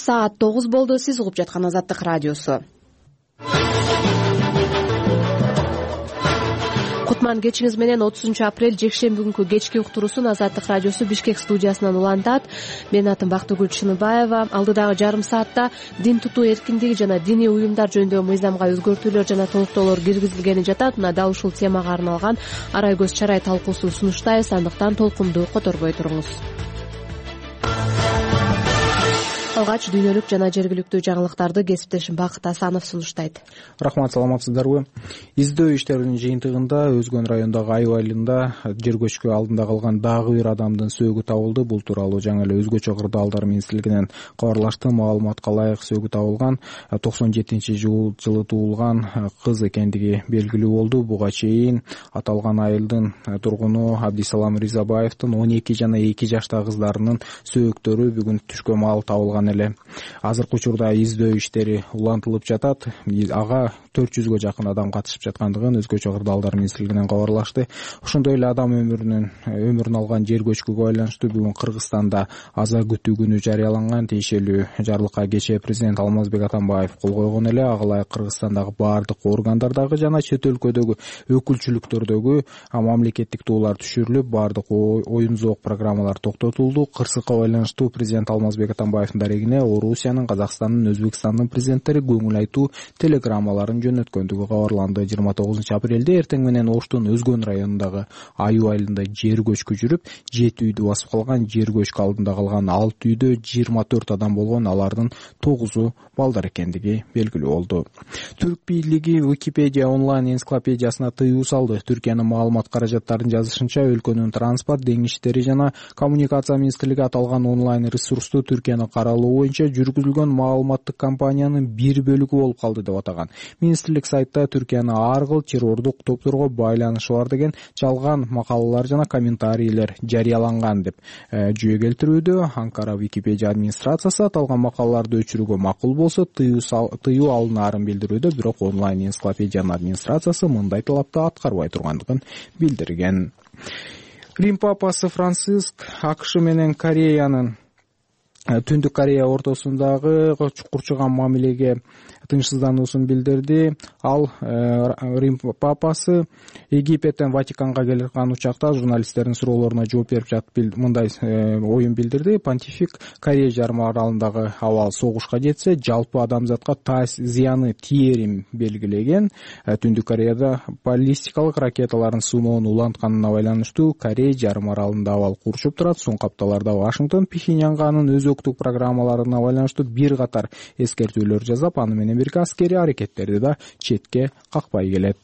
Саат 9 болду. Сиз угуп жаткан Азаттык радиосу. Кутман кечиңиз менен 30-апрель жекшемби күнкү кечки уктуруусун Азаттык радиосу Бишкек студиясынан улантат. Менин атым Бактыгүл Чыныбаева. Алдыдагы жарым саатта дин тутуу эркиндиги жана диний уюмдар жөнүндөгү мыйзамга өзгөртүүлөр жана толуктоолор киргизилгени жатат. Мына дал ушул темага арналган арай көз чарай талкуусун сунуштайбыз. Андыктан толкунду которбой туруңуз. Алгач дүйнөлүк жана жергиликтүү жаңылыктарды кесиптешим Бакыт Асанов сунуштайт. Рахмат, саламатсыздарбы? Издөө иштеринин жыйынтыгында Өзгөн районундагы Айыл айылында жер көчкү алдында калган дагы бир адамдын сөөгү табылды. Бул тууралуу жаңы эле Өзгөчө кырдаалдар министрлигинен кабарлашты. Маалыматка ылайык сөөгү табылган 97-жылы туулган кыз экендиги белгилүү болду. Буга чейин аталган айылдын тургуну Абдисалам Ризабаевдин 12 жана 2 жаштагы кыздарынын сөөктөрү бүгүн түшкө маал табылган эле. Азыркы учурда издөө иштери улантылып жатат. Ага 400гө жакын адам катышып жаткандыгын Өзгөчө кырдаалдар министрлигинен кабарлашты. Ошондой эле адам өмүрүн алган жер көчкүгө байланыштуу бүгүн Кыргызстанда аза күтүү күнү жарыяланган. Тиешелүү жарлыкка кечээ президент Алмазбек Атамбаев кол койгон эле. Ага ылайык Кыргызстандагы баардык органдардагы жана чет өлкөдөгү өкүлчүлүктөрдөгү мамлекеттик туулар түшүрүлүп, баардык оюн зоок программалар токтотулду. Кырсыкка байланыштуу президент Алмазбек Атамбаевдин дарегине Орусиянын, Казакстандын, Өзбекстандын президенттери көңүл айтуу телеграммаларын жөнөткөндүгү кабарланды. 29-апрелде эртең менен Оштун Өзгөн районундагы Аюу айылында жер көчкү жүрүп, 7 үйдү басып калган. Жер көчкү алдында калган 6 үйдө 24 адам болгон. Алардын 9-у балдар экендиги белгилүү болду. Түрк бийлиги Википедия онлайн энциклопедиясына тыюу салды. Түркиянын маалымат каражаттарын жазышынча, өлкөнүн транспорт, деңиз иштери жана коммуникация министрлиги аталган онлайн ресурсту Түркияны каралоо боюнча жүргүзүлгөн маалыматтык кампаниянын бир бөлүгү болуп калды деп атаган. Министрлик сайтта Түркияны ар кыл террордук топторго байланышы бар деген жалган макалалар жана комментарийлер жарыяланган деп жүйө келтирүүдө. Анкара Википедия администрациясы аталган макалаларды өчүрүүгө макул болсо тыюу алынаарын билдирүүдө, бирок онлайн энциклопедиянын администрациясы мындай талапты аткарбай тургандыгын билдирген. Рим папасы Франциск АКШ менен Кореянын Түндүк Корея ортосундагы чукурчуган мамилеге тынчсыздануусун билдирди. Ал Рим папасы Египеттен Ватиканга келген учакта журналисттердин суроолоруна жооп берип жатып мындай оюн билдирди. Понтифик Корея жарым аралындагы абал согушка жетсе, жалпы адамзатка зыяны тиерин белгилеген. Түндүк Кореяда баллистикалык ракеталарын сыноонун улантканына байланыштуу Корея жарым аралында абал курчуп турат. Соңку апталарда Вашингтон Пхеньянга анын өзөктүк программаларына байланыштуу бир катар эскертүүлөр жасап, аны менен бирге аскери аракеттерди да четке какпай келет.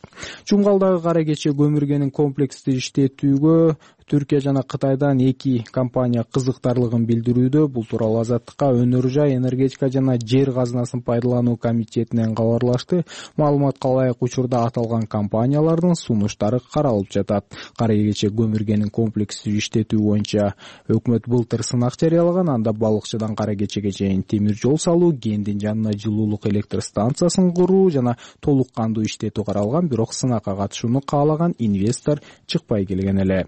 Чуңгалдагы кара кече көмүргенин комплекстүү иштетүүгө Түркия жана Кытайдан 2 компания кызыктарлыгын билдирүүдө. Бул тууралуу Азаттыкка Өнөр жай, энергетика жана жер казынасын пайдалануу комитетинен кабарлашты. Маалыматка ылайык учурда аталган компаниялардын сунуштары каралып жатат. Кара кече көмүргенин комплекстүү иштетүү боюнча өкмөт былтыр сынак жарыялаган. Анда балыкчыдан кара кечеге чейин темир жол салуу, кендин жанына жылуулук электр станциясын куруу жана толук кандуу иштетүү каралган. Бирок сынакка катышууну каалаган инвестор чыкпай келген эле.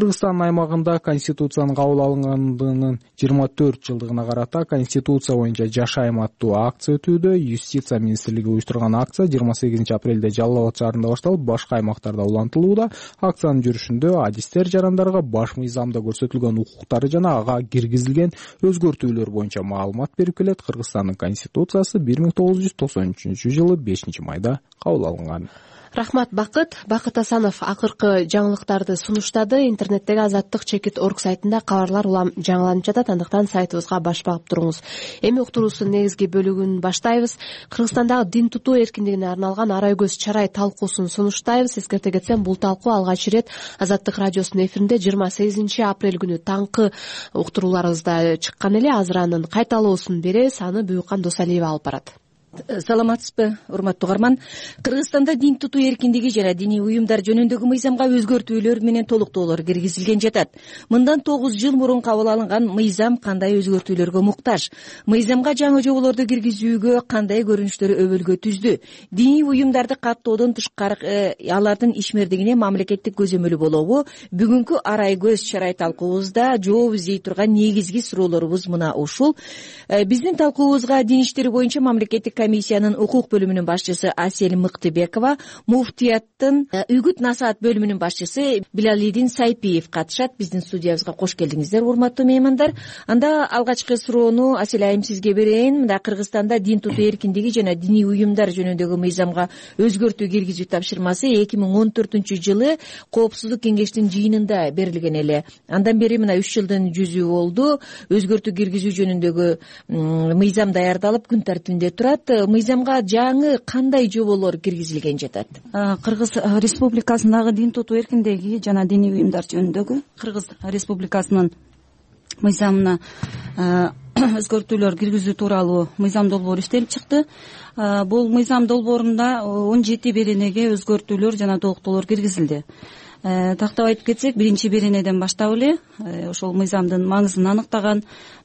Кыргызстан аймагында Конституциянын кабыл алынгандыгынын 24 жылдыгына карата Конституция боюнча жашайм аттуу акция өтүүдө. Юстиция министрлиги уюштурган акция 28-апрелде Жалал Абад шаарында башталып, башка аймактарда улантылууда. Акциянын жүрүшүндө адистер жарандарга баш мыйзамда көрсөтүлгөн укуктары жана ага киргизилген өзгөртүүлөр боюнча маалымат берип келет. Кыргызстандын Конституциясы 1993-жылы 5-майда кабыл алынган. Рахмат, Бакыт. Бакыт Асанов акыркы жаңылыктарды сунуштады. Интернеттеги Азаттык.org сайтында кабарлар улам жаңыланып жатат. Андыктан сайтыбызга баш багып туруңуз. Эми уктуруусунун негизги бөлүгүн баштайбыз. Кыргызстандагы дин тутуу эркиндигине арналган арай көз чарай талкуусун сунуштайбыз. Эскерте кетсем, бул талкуу алгач ирет Азаттык радиосунун эфиринде 28-апрель күнү таңкы уктурууларыбызда чыккан эле. Азыр анын кайталоосун беребиз. Аны Буюкан Досалиева алып барат. Саламатсызбы, урматтуу угарман. Кыргызстанда дин тутуу эркиндиги жана диний уюмдар жөнүндөгү мыйзамга өзгөртүүлөр менен толуктоолор киргизилген жатат. Мындан 9 жыл мурун кабыл алынган мыйзам кандай өзгөртүүлөргө муктаж? Мыйзамга жаңы жоболорду киргизүүгө кандай көрүнүштөр өбөлгө түздү? Диний уюмдарды каттоодон тышкары алардын ишмердигине мамлекеттик көзөмөлү болобу? Бүгүнкү арай көз чарай талкуубузда жооп издей турган негизги суроолорубуз мына ушул. Биздин талкуубузга дин иштери боюнча мамлекеттик комиссиянын укук бөлүмүнүн башчысы Асель Мыктыбекова, муфтияттын үгүт насаат бөлүмүнүн башчысы Билалидин Сайпиев катышат. Биздин студиябызга кош келдиңиздер, урматтуу меймандар. Анда алгачкы суроону Асель айым сизге берейин. Мында Кыргызстанда дин тутуу эркиндиги жана диний уюмдар жөнүндөгү мыйзамга өзгөртүү киргизүү тапшырмасы 2014-жылы Коопсуздук кеңештин жыйынында берилген эле. Андан бери мына 3 жылдын жүзү болду. Өзгөртүү киргизүү жөнүндөгү мыйзам даярдалып күн тартибинде турат. Мыйзамга жаңы кандай жоболор киргизилген жатат? Кыргыз Республикасындагы дин тутуу эркиндиги жана диний уюмдар жөнүндөгү Кыргыз Республикасынын мыйзамына өзгөртүүлөр киргизүү тууралуу мыйзам долбоору иштелип чыкты. Бул мыйзам долбоорунда 17 беренеге өзгөртүүлөр жана толуктоолор киргизилди. Тактап айтып кетсек, биринчи беренеден баштап эле ошол мыйзамдын маңызын аныктаган,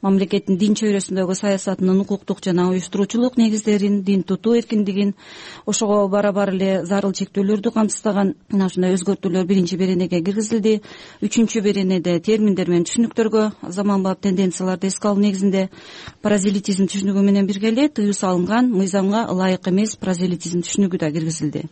мамлекеттин дин чөйрөсүндөгү саясатынын укуктук жана уюштуруучулук негиздерин, дин тутуу эркиндигин, ошого барабар эле зарыл чектөөлөрдү камсыздаган мына ушундай өзгөртүүлөр биринчи беренеге киргизилди. Үчүнчү беренеде терминдер менен түшүнүктөргө заманбап тенденцияларды эске алуу негизинде прозелитизм түшүнүгү менен бирге эле тыюу салынган мыйзамга ылайык эмес прозелитизм түшүнүгү да киргизилди.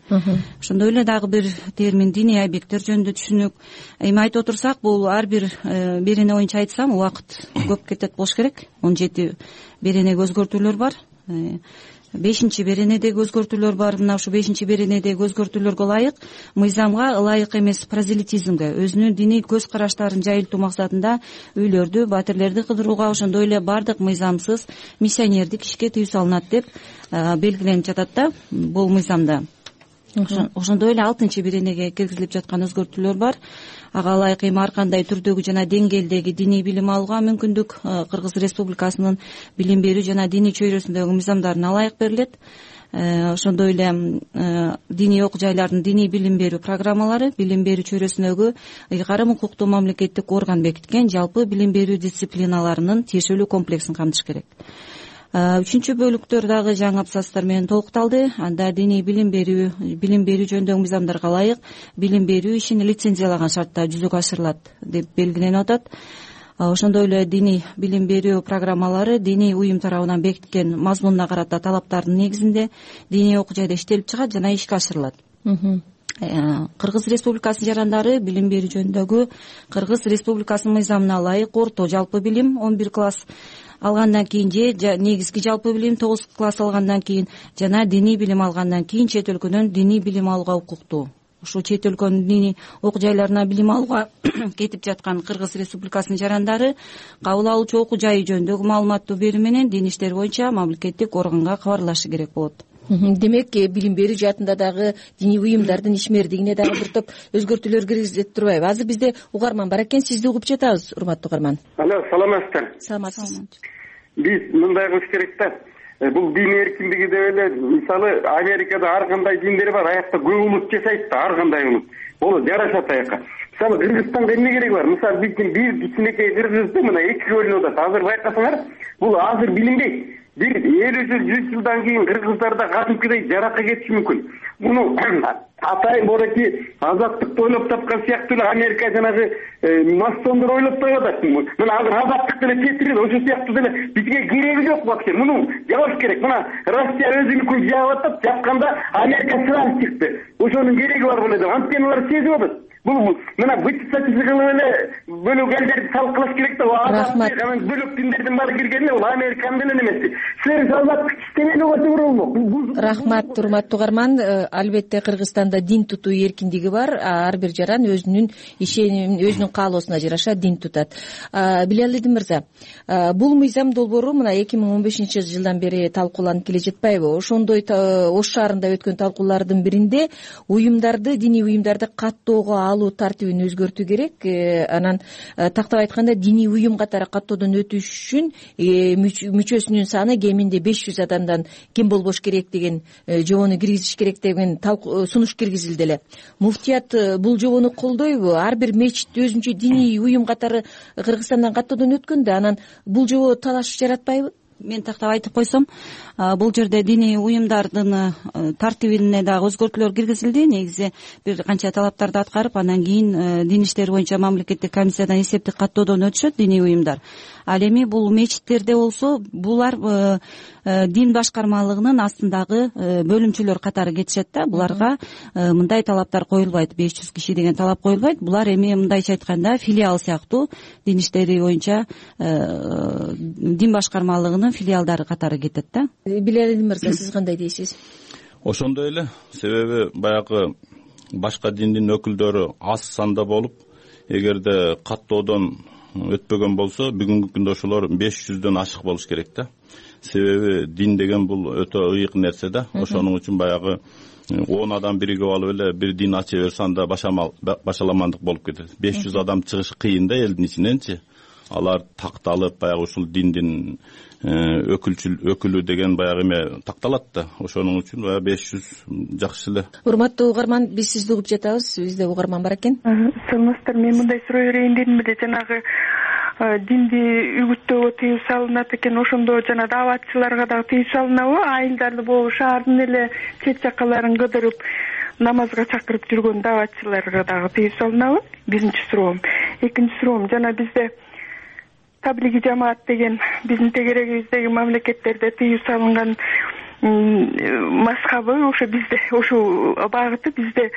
Ошондой эле дагы бир термин диний объекттер түшүнүк. Эми айтып отурсак, бул ар бир берене боюнча айтсам убакыт көп кетет болуш керек. 17 беренеге өзгөртүүлөр бар. 5-чи беренедеги өзгөртүүлөр бар. Мына ушу 5-чи беренедеги өзгөртүүлөргө ылайык мыйзамга ылайык эмес прозелитизмге, өзүнүн диний көз караштарын жайылтуу максатында үйлөрдү, батирлерди кыдырууга, ошондой эле бардык мыйзамсыз миссионердик ишке тыюу салынат деп белгиленип жатат да бул мыйзамда. Ошондой эле 6-чы беренеге киргизилип жаткан өзгөртүүлөр бар. Ага ылайык эми ар кандай түрдөгү жана деңгээлдеги диний билим алууга мүмкүндүк Кыргыз Республикасынын билим берүү жана диний чөйрөсүндөгү мыйзамдарына ылайык берилет. Ошондой эле диний окуу жайлардын диний билим берүү программалары билим берүү чөйрөсүндөгү ыйгарым укуктуу мамлекеттик орган бекиткен жалпы билим берүү дисциплиналарынын тиешелүү комплексин камтыш керек. Үчүнчү бөлүктөр дагы жаңы абзацтар менен толукталды. Анда диний билим берүү жөнүндөгү мыйзамдарга ылайык билим берүү ишин лицензиялаган шартта жүзөгө ашырылат деп белгиленип атат. Ошондой эле диний билим берүү программалары диний уюм тарабынан бекиткен мазмунуна карата талаптардын негизинде диний окуу жайда иштелип чыгат жана ишке ашырылат. Кыргыз Республикасынын жарандары билим берүү жөнүндөгү Кыргыз Республикасынын мыйзамына ылайык орто жалпы билим 11 класс алгандан кийин же негизги жалпы билим 9 класс алгандан кийин жана диний билим алгандан кийин чет өлкөдөн диний билим алууга укуктуу. Ушул чет өлкөнүн диний окуу жайларына билим алууга кетип жаткан Кыргыз Республикасынын жарандары кабыл алуучу окуу жайы жөнүндөгү маалыматтуу берүү менен дин иштери боюнча мамлекеттик органга кабарлашы керек болот. Демек, билим берүү жаатында дагы диний уюмдардын ишмердигине дагы бир топ өзгөртүүлөр киргизилет турбайбы? Азыр бизде угарман бар экен, сизди угуп жатабыз, урматтуу угарман. Алло, саламатсыздар. Саламатсыз. Биз мындай кылыш керек да. Бул дин эркиндиги деп эле, мисалы, Америкада ар кандай диндер бар, аякта көп улут жашайт да, ар кандай улут. Болот, жарашат аякка. Мисалы, Кыргызстанга эмне кереги бар? Мисалы, биздин бир кичинекей кыргызды мына 2 бөлүнүп атат. Азыр байкасаңар, бул азыр билинбейт. Бир 50 жыл, 100 жылдан кийин кыргыздарда кадимкидей жаракка кетиши мүмкүн. Муну атайын бореки азаттыкты ойлоп тапкан сыяктуу эле Америка жанагы мастондор ойлоп таап атат. Мына азыр азаттык деле кетирет, ошол сыяктуу деле бизге кереги жок вообще. Муну жабыш керек. Мына Россия өзүнүкүн жаап атат, жапканда Америка сразу чыкты. Ошонун кереги бар беле деп. Анткени алар сезип атат. Бул мына вычислитель кылып эле бөлөк элдерди салкылаш керек да. Рахмат. Бөлөк диндердин баары киргенде бул Американын деле эмеси. Силер азаттык иштемени болсо болмок. Рахмат, урматтуу угарман. Албетте Кыргызстанда дин тутуу эркиндиги бар. Ар бир жаран өзүнүн ишенимин, өзүнүн каалоосуна жараша дин тутат. Билалидин мырза, бул мыйзам долбоору мына 2015-жылдан бери талкууланып келе жатпайбы? Ошондой Ош шаарында өткөн талкуулардын биринде уюмдарды, диний уюмдарды каттоого алуу тартибин өзгөртүү керек. Анан тактап айтканда диний уюм катары каттоодон өтүш үчүн мүчөсүнүн саны кеминде 500 адамдан кем болбош керек деген жобону киргизиш керек деген сунуш киргизилди эле. Муфтият бул жобону колдойбу? Ар бир мечит өзүнчө диний уюм катары Кыргызстандан каттоодон өткөндө анан бул жобо талаш жаратпайбы? Мен тактап айтып койсом, бул жерде диний уюмдардын тартибине дагы өзгөртүүлөр киргизилди. Негизи бир канча талаптарды аткарып, анан кийин дин иштери боюнча мамлекеттик комиссиядан эсептик каттоодон өтүшөт диний уюмдар. Ал эми бул мечиттерде болсо, булар дин башкармалыгынын астындагы бөлүмчөлөр катары кетишет да. Буларга мындай талаптар коюлбайт, 500 киши деген талап коюлбайт. Булар эми мындайча айтканда филиал сыяктуу дин иштери боюнча дин башкармалыгынын филиалдары катары кетет да. Билали мырза, сиз кандай дейсиз? Ошондой эле, себеби баягы башка диндин өкүлдөрү аз санда болуп, эгерде каттоодон өтпөгөн болсо, бүгүнкү күндө ошолор 500дөн ашык болуш керек да. Себеби дин деген бул өтө ыйык нерсе да. Ошонун үчүн баягы 10 адам биригип алып эле бир дин ача берсе, анда башаламандык болуп кетет. 500 адам чыгыш кыйын да элдин ичиненчи. Алар такталып, баягы ушул диндин өкүлү деген баягы эме такталат да. Ошонун үчүн баягы 500 жакшы эле. Урматтуу угарман, биз сизди угуп жатабыз. Бизде угарман бар экен. Саламатсыздар. Мен мындай суроо берейин дедим эле. Жанагы динди үгүттөөгө тыюу салынат экен. Ошондо жана дааватчыларга дагы тыюу салынабы? Айылдарды болуп, шаардын эле чет жакаларын кыдырып намазга чакырып жүргөн дааватчыларга дагы тыюу салынабы? Биринчи суроом. Экинчи суроом, жана бизде таблиги жамаат деген биздин тегерегибиздеги мамлекеттерде тыюу салынган мазхабы, ошо бизде ошол багыты бизде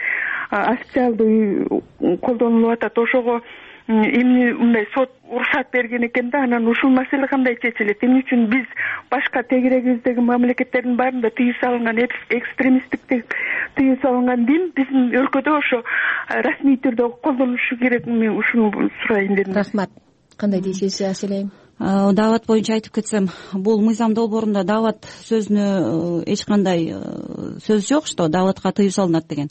официалдуу колдонулуп атат. Ошого эмне мындай сот уруксат берген экен да, анан ушул маселе кандай чечилет? Эмне үчүн биз башка тегерегибиздеги мамлекеттердин баарында тыюу салынган экстремисттик тыюу салынган дин биздин өлкөдө ошо расмий түрдө колдонулушу керек? Мен ушуну сурайын дедим. Рахмат. Кандай дейсиз, Аселем? Даават боюнча айтып кетсем, бул мыйзам долбоорунда даават сөзүнө эч кандай сөз жок, что дааватка тыюу салынат деген.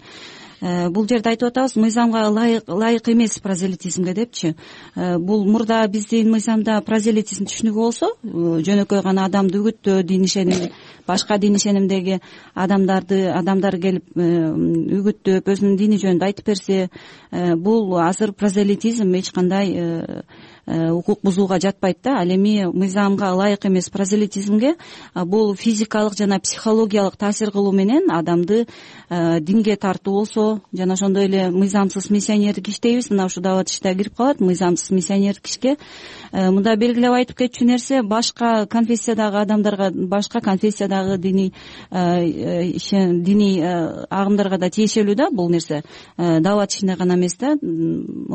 Бул жерде айтып атабыз, мыйзамга ылайык эмес прозелитизмге депчи. Бул мурда биздин мыйзамда прозелитизм түшүнүгү болсо, жөнөкөй гана адамды үгүттөө, дин ишеним, башка дин ишенимдеги адамдар келип үгүттөп, өзүнүн дини жөнүндө айтып берсе, бул азыр прозелитизм эч кандай укук бузууга жатпайт да. Ал эми мыйзамга ылайык эмес прозелитизмге бул физикалык жана психологиялык таасир кылуу менен адамды динге тартуу болсо, жана ошондой эле мыйзамсыз миссионердик иш дейбиз, мына ушул даават иште кирип калат. Мыйзамсыз миссионердик ишке мында белгилеп айтып кетчү нерсе, башка конфессиядагы адамдарга, башка конфессиядагы диний агымдарга да тиешелүү да бул нерсе. Даават ишине гана эмес да.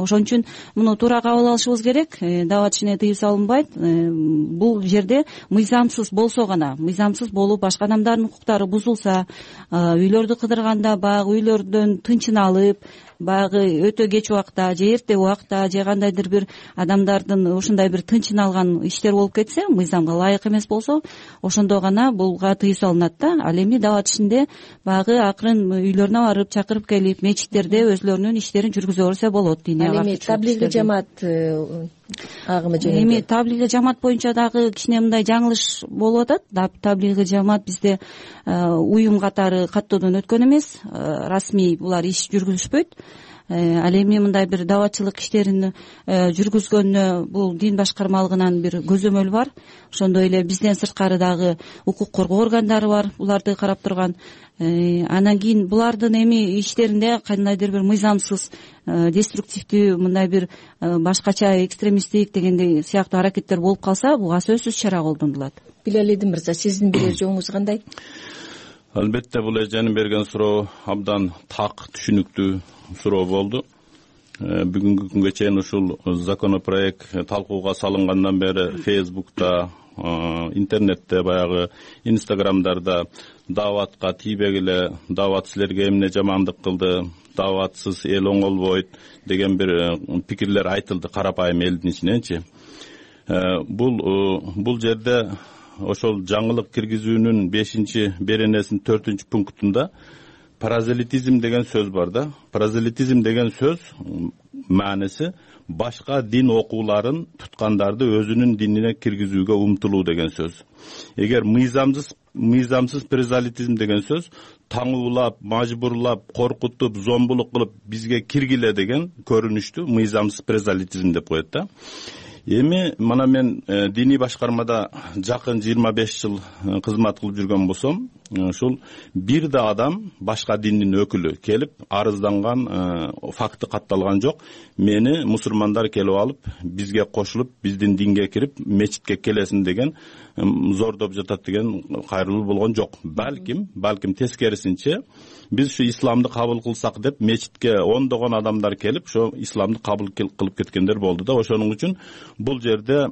Ошон үчүн муну туура кабыл алышыбыз керек. Даават ишине тыюу салынбайт. Бул жерде мыйзамсыз болсо гана, мыйзамсыз болуп башка адамдардын укуктары бузулса, үйлөрдү кыдырганда баягы үйлөрдөн тынчын алып, баягы өтө кеч убакта же эрте убакта же кандайдыр бир адамдардын ушундай бир тынчын алган иштер болуп кетсе, мыйзамга ылайык эмес болсо, ошондо гана булга тыюу салынат да. Ал эми даават ишинде баягы акырын үйлөрүнө барып чакырып келип, мечиттерде өзлөрүнүн иштерин жүргүзө берсе болот. Ал эми таблиги жамаат агымы жөнүндө. Эми таблиги жамаат боюнча дагы кичине мындай жаңылыш болуп атат. Таблиги жамаат бизде уюм катары каттоодон өткөн эмес, расмий булар иш жүргүзүшпөйт. Ал эми мындай бир дааватчылык иштерин жүргүзгөнүнө бул дин башкармалыгынан бир көзөмөл бар. Ошондой эле бизден сырткары дагы укук коргоо органдары бар, буларды карап турган. Анан кийин булардын эми иштеринде кандайдыр бир мыйзамсыз, деструктивдүү, мындай бир башкача экстремисттик дегендей сыяктуу аракеттер болуп калса, буга сөзсүз чара колдонулат. Билали мырза, сиздин билер жоңуңуз кандай? Албетте бул эженин берген суроо абдан так, түшүнүктүү суроо болду. Бүгүнкү күнгө чейин ушул законопроект талкууга салынгандан бери Facebook'та, интернетте, баягы Instagram'дарда дааватка тийбегиле, даават силерге эмне жамандык кылды, дааватсыз эл оңолбойт деген бир пикирлер айтылды карапайым элдин ичиненчи. Бул жерде ошол жаңылык киргизүүнүн 5-беренесинин 4-пунктунда паразелитизм деген сөз бар да. Паразелитизм деген сөз мааниси башка дин окууларын туткандарды өзүнүн динине киргизүүгө умтулуу деген сөз. Эгер мыйзамсыз паразелитизм деген сөз таңуулап, мажбурлап, коркутуп, зомбулук кылып бизге киргиле деген көрүнүштү мыйзамсыз паразелитизм деп коет да. Эми мана мен диний башкармада жакын 25 жыл кызмат кылып жүргөн болсом, ушул бир да адам башка диндин өкүлү келип арызданган факты катталган жок. Мени мусулмандар келип алып, бизге кошулуп, биздин динге кирип, мечитке келесиң деген зордоп жатат деген кайрылуу болгон жок. Балким тескерисинче биз ушу исламды кабыл кылсак деп мечитке ондогон адамдар келип, ошо исламды кабыл кылып кеткендер болду да. Ошонун үчүн бул жерде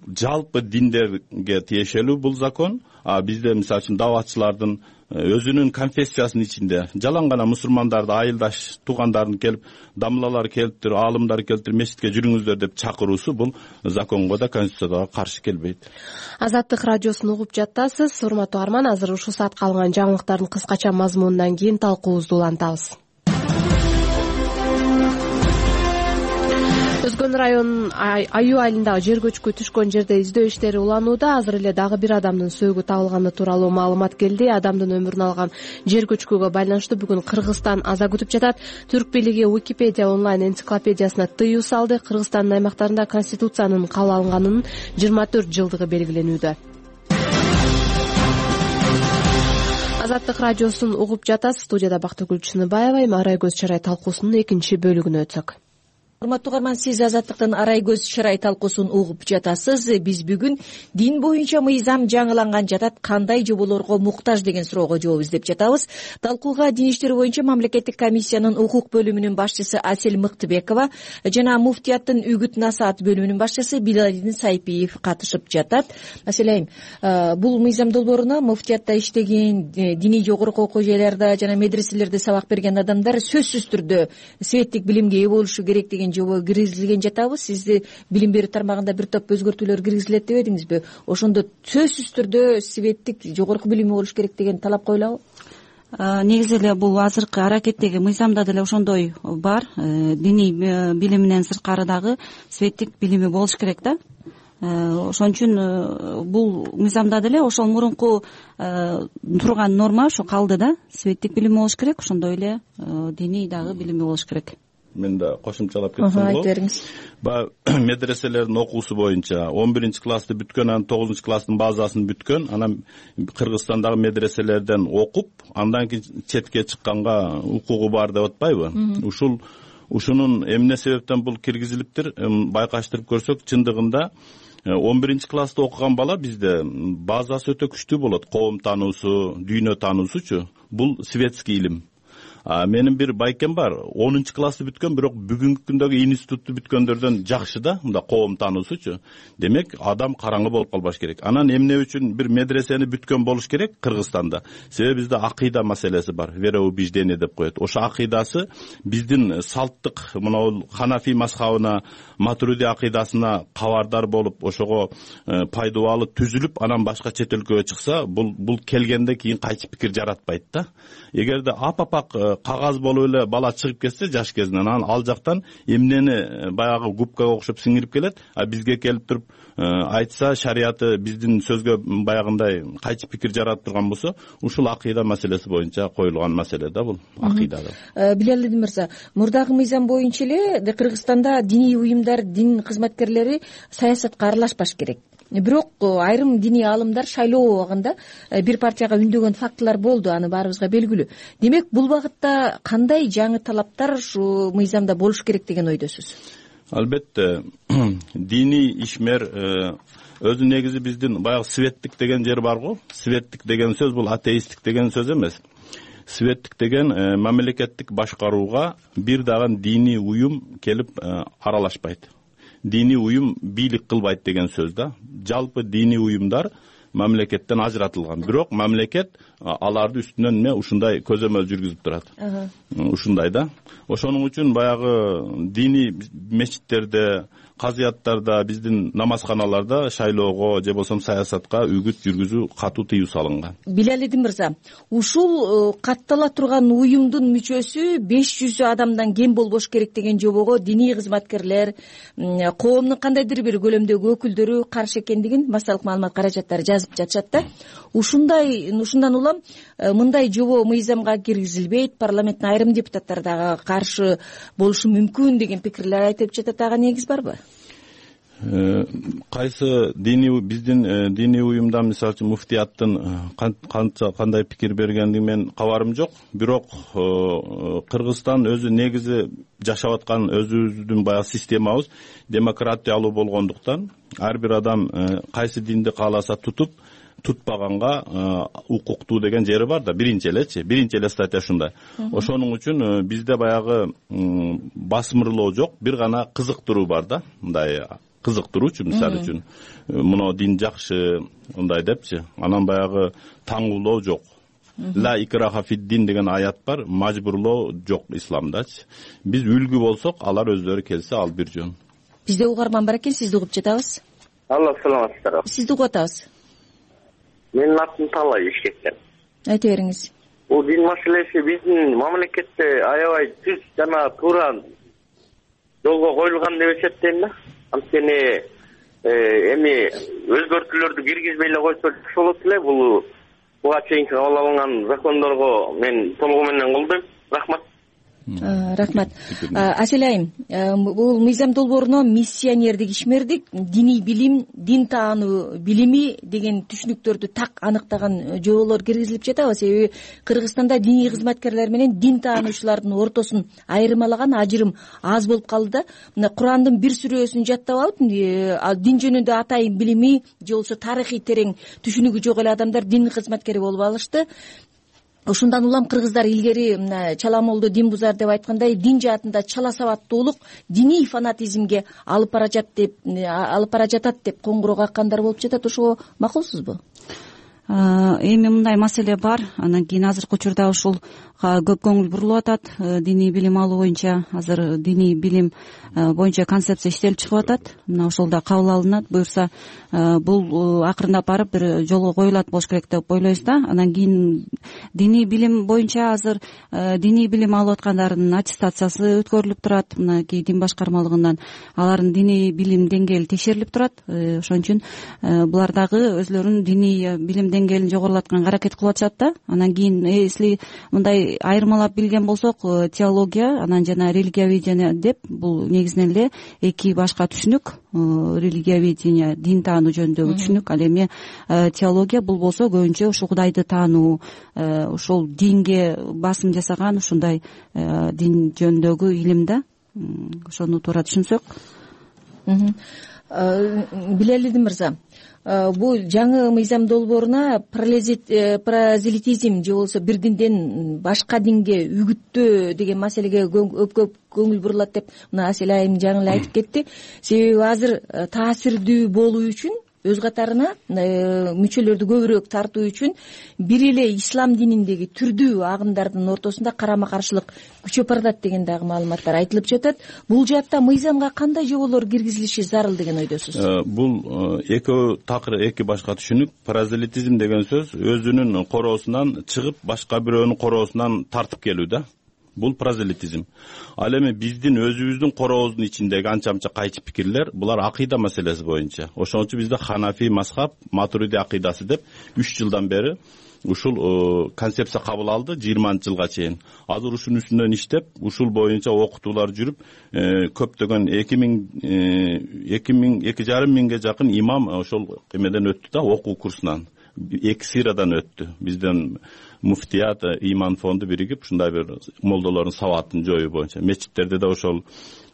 жалпы диндерге тиешелүү бул закон. Бизде мисалы үчүн даватчылардын өзүнүн конфессиясынын ичинде жалаң гана мусулмандарды, айылдаш туугандарын келип, дамлалар келиптир, аалымдар келиптир, мечитке жүрүңүздөр деп чакыруусу бул законго да, конституцияга каршы келбейт. Азаттык радиосун угуп жатасыз. Урматтуу арман, азыр ушул саатка алынган жаңылыктардын кыскача мазмунунан кийин талкуубузду улантабыз. Өзгөн район Аю айылындагы жер көчкү түшкөн жерде издөө иштери уланууда. Азыр эле дагы бир адамдын сөөгү табылганы тууралуу маалымат келди. Адамдын өмүрүн алган жер көчкүгө байланыштуу бүгүн Кыргызстан аза күтүп жатат. Түрк бийлиги Википедия онлайн энциклопедиясына тыюу салды. Кыргызстандын аймактарында конституциянын кабыл алынганынын 24 жылдыгы белгиленүүдө. Азаттык радиосун угуп жатасыз. Студияда Бактыгүл Чыныбаева. Эми арай көз чарай талкуусунун экинчи бөлүгүнө өтсөк. Урматтуу угарман, сиз Азаттыктын арай көз чарай талкуусун угуп жатасыз. Биз бүгүн дин боюнча мыйзам жаңыланган жатат, кандай жоболорго муктаж деген суроого жооп издеп жатабыз. Талкууга дин иштери боюнча мамлекеттик комиссиянын укук бөлүмүнүн башчысы Асель Мыктыбекова жана муфтияттын үгүт насаат бөлүмүнүн башчысы Билалидин Сайпиев катышып жатат. Асель айым, бул мыйзам долбооруна муфтиятта иштеген, диний жогорку окуу жайларда жана медреселерде сабак берген адамдар сөзсүз түрдө светтик билимге ээ болушу керек деген жобо киргизилген жатабы. Сизди билим берүү тармагында бир топ өзгөртүүлөр киргизилет деп эдиңизби? Ошондо сөзсүз түрдө светтик жогорку билими болуш керек деген талап коюлабы? Негизи эле бул азыркы аракеттеги мыйзамда деле ошондой бар. Диний билиминен сырткары дагы светтик билими болуш керек да. Ошон үчүн бул мыйзамда деле ошол мурунку турган норма ошо калды да. Светтик билими болуш керек, ошондой эле диний дагы билими болуш керек. Мен да кошумчалап кетсем болот. Айтып бериңиз. Медреселердин окуусу боюнча 11-классты бүткөн, анан 9-класстын базасын бүткөн, анан Кыргызстандагы медреселерден окуп, андан кийин четке чыкканга укугу бар деп атпайбы? Ушунун эмне себептен бул киргизилиптир? Байкаштырып көрсөк, чындыгында 11-класста окуган бала бизде базасы өтө күчтүү болот. Коом таануусу, дүйнө таануусучу. Бул светский илим. Менин бир байкем бар, 10-классты бүткөн, бирок бүгүнкү күндөгү институтту бүткөндөрдөн жакшы да, мында коом таануусучу. Демек, адам караңгы болуп калбаш керек. Анан эмне үчүн бир медресени бүткөн болуш керек Кыргызстанда? Себеби бизде акыйда маселеси бар, вероубеждение деп коет. Ошо акыйдасы биздин салттык, мына Ханафи мазхабына, Матуриди акыйдасына кабардар болуп, ошого пайдубалы түзүлүп, анан башка чет өлкөгө чыкса, бул келгенде кийин кайчы пикир жаратпайт да. Эгерде апапак кагаз болуп эле бала чыгып кетсе жаш кезинен, анан ал жактан эмнени баягы губкага окшоп сиңирип келет, бизге келип туруп айтса, шарияты биздин сөзгө баягындай кайчы пикир жаратып турган болсо, ушул акыйда маселеси боюнча коюлган маселе да бул акыйдада. Билалидин мырза, мурдагы мыйзам боюнча эле Кыргызстанда диний уюмдар, дин кызматкерлери саясатка аралашпаш керек. Бирок айрым диний аалымдар шайлоо убагында бир партияга үндөгөн фактылар болду, аны баарыбызга белгилүү. Демек, бул багытта кандай жаңы талаптар ушу мыйзамда болуш керек деген ойдосуз? Албетте, диний ишмер өзү негизи биздин баягы светтик деген жер бар го. Светтик деген сөз бул атеисттик деген сөз эмес. Светтик деген мамлекеттик башкарууга бир дагы диний уюм келип аралашпайт. Диний уюм бийлик кылбайт деген сөз да. Жалпы диний уюмдар мамлекеттен ажыратылган. Бирок мамлекет аларды үстүнөн ушундай көзөмөл жүргүзүп турат. Ушундай да. Ошонун үчүн баягы диний мечиттерде, казыяттарда, биздин намазканаларда шайлоого же болбосо саясатка үгүт жүргүзүү катуу тыюу салынган. Билалидин мырза, ушул каттала турган уюмдун мүчөсү 500 адамдан кем болбош керек деген жобого диний кызматкерлер, коомдун кандайдыр бир көлөмдөгү өкүлдөрү каршы экендигин массалык маалымат каражаттары жазып жатышат да. Ушундан улам мындай жобо мыйзамга киргизилбейт, парламенттин айрым депутаттары дагы каршы болушу мүмкүн деген пикирлер айтып жатат. Ага негиз барбы? Кайсы биздин диний уюмдан мисалы үчүн муфтияттын кандай пикир бергендиги мен кабарым жок. Бирок Кыргызстан өзү негизи жашап аткан өзүбүздүн баягы системабыз демократиялуу болгондуктан ар бир адам кайсы динди кааласа тутпаганга укуктуу деген жери бар да. Биринчи эле статья ушундай. Ошонун үчүн бизде баягы басмырлоо жок, бир гана кызыктыруу бар да. Мындай кызыктыруучу, мисалы үчүн мына дин жакшы мындай депчи. Анан баягы таңуулоо жок. Ла икраха фид-дин деген аят бар, мажбурлоо жок исламдачы. Биз үлгү болсок, алар өздөрү келсе ал бир жөн. Бизде угарман бар экен, сизди угуп жатабыз. Алла саламатсыздарбы. Сизди угуп атабыз. Менин атым Талай Ишкектен. Айта бериңиз. Бул дин маселеси биздин мамлекетте аябай түз жана туура жолго коюлган деп эсептейм да. Анткени эми өзгөртүүлөрдү киргизбей эле койсо жакшы болот эле. Буга чейинки кабыл алынган закондорго мен толугу менен колдойм. Рахмат. Рахмат. Асель айым, бул мыйзам долбооруна миссионердик, ишмердик, диний билим, дин таануу билими деген түшүнүктөрдү так аныктаган жоболор киргизилип жатабы? Себеби Кыргызстанда диний кызматкерлер менен дин таануучулардын ортосун айырмалаган ажырым аз болуп калды да. Мына Курандын бир сүрөсүн жаттап алып, дин жөнүндө атайын билими же болбосо тарыхый терең түшүнүгү жок эле адамдар дин кызматкери болуп алышты. Ошондан улам кыргыздар илгери чала молдо дин бузар деп айткандай, дин жаатында чала сабаттуулук диний фанатизмге алып бара жатат деп коңгуроо каккандар болуп жатат. Ошого макулсузбу? Эми мындай маселе бар. Анан кийин азыркы учурда ушулга көп көңүл бурулуп атат. Диний билим алуу боюнча азыр диний билим боюнча концепция иштелип чыгып атат. Мына ошол да кабыл алынат. Буюрса бул акырындап барып бир жолго коюлат болуш керек деп ойлойбуз да. Анан кийин диний билим боюнча азыр диний билим алып аткандардын аттестациясы өткөрүлүп турат. Мына кей дин башкармалыгынан алардын диний билим деңгээли текшерилип турат. Ошон үчүн булар дагы өзлөрүнүн диний билим деңгээлин жогорулатканга аракет кылып атышат да. Анан кийин если мындай айырмалап билген болсок, теология анан жана религиоведение деп бул негизинен эле эки башка түшүнүк. Религиоведение дин таануу жөнүндөгү түшүнүк, ал эми теология бул болсо көбүнчө ушул Кудайды таануу, ошол динге басым жасаган ушундай дин жөнүндөгү илим да. Ошону туура түшүнсөк. Билалидин мырза, бул жаңы мыйзам долбооруна паразелитизм же болбосо бир динден башка динге үгүттөө деген маселеге көп көңүл бурулат деп мына Асель айым жаңы эле айтып кетти. Себеби азыр таасирдүү болуу үчүн өз катарына мүчөлөрдү көбүрөөк тартуу үчүн бир эле ислам дининдеги түрдүү агымдардын ортосунда карама каршылык күчөп баратат деген дагы маалыматтар айтылып жатат. Бул жаатта мыйзамга кандай жоболор киргизилиши зарыл деген ойдосуз? Бул эки башка түшүнүк. Паразелитизм деген сөз өзүнүн короосунан чыгып башка бирөөнүн короосунан тартып келүү да. Бул паразелитизм. Ал эми биздин өзүбүздүн корообуздун ичиндеги анча-мынча кайчы пикирлер, булар акыйда маселеси боюнча. Ошон үчүн бизде Ханафи мазхаб, Матуриди акыйдасы деп 3 жылдан бери ушул концепция кабыл алды 20-жылга чейин. Азыр ушунун үстүнөн иштеп, ушул боюнча окутуулар жүрүп, көптөгөн 2,5 миңге жакын имам ошол эмеден өттү да, окуу курсунан. 2 сыйрадан өттү. Бизден муфтият, иман фонду биригип ушундай бир молдолордун сабатын жоюу боюнча. Мечиттерде да ошол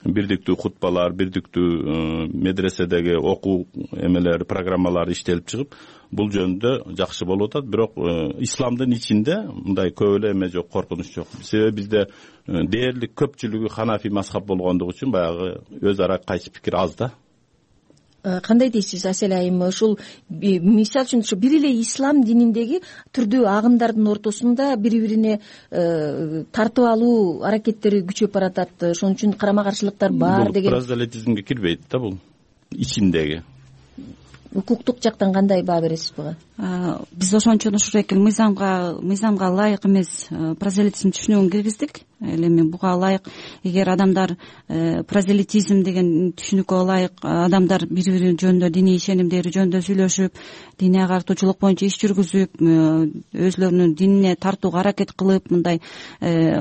бирдиктүү хутбалар, бирдиктүү медреседеги окуу эмелер, программалар иштелип чыгып, бул жөнүндө жакшы болуп атат. Бирок исламдын ичинде мындай көп эле эме жок, коркунуч жок. Себеби бизде дээрлик көпчүлүгү Ханафи мазхаб болгондугу үчүн баягы өз ара кайчы пикир аз да. кандай дейсиз Асель айым? Ушул мисалы үчүн ушу бир эле ислам дининдеги түрдүү агымдардын ортосунда бири бирине тартып алуу аракеттери күчөп баратат, ошон үчүн карама каршылыктар бар деген. Бул прозелитизмге кирбейт да, бул ичиндеги. Укуктук жактан кандай баа бересиз буга? Биз ошончон ушул экил мыйзамга ылайык эмес прозелитизм түшүнүгүн киргиздик. Эми буга ылайык, эгер адамдар прозелитизм деген түшүнүккө ылайык адамдар бири бири жөнүндө диний ишенимдери жөнүндө сүйлөшүп, диний агартуучулук боюнча иш жүргүзүп, өзлөрүнүн динине тартууга аракет кылып, мындай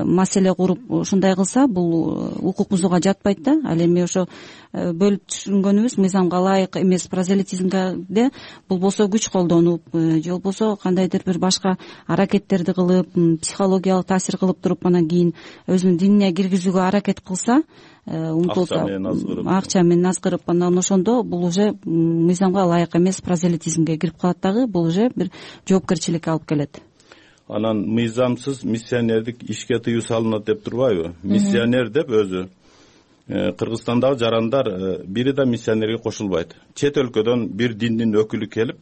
маселе куруп ушундай кылса, бул укук бузууга жатпайт да. Ал эми ошо бөлүп түшүнгөнүбүз мыйзамга ылайык эмес прозелитизмде бул болсо күч колдонуп же болбосо кандайдыр бир башка аракеттерди кылып, психологиялык таасир кылып туруп, анан кийин өзүнүн динине киргизүүгө аракет кылса, умтулса, акча менен азгырып, анан ошондо бул уже мыйзамга ылайык эмес прозелитизмге кирип калат дагы. Бул уже бир жоопкерчиликке алып келет. Анан мыйзамсыз миссионердик ишке тыюу салынат деп турбайбы? Миссионер деп өзү Кыргызстандагы жарандар бири да миссионерге кошулбайт. Чет өлкөдөн бир диндин өкүлү келип,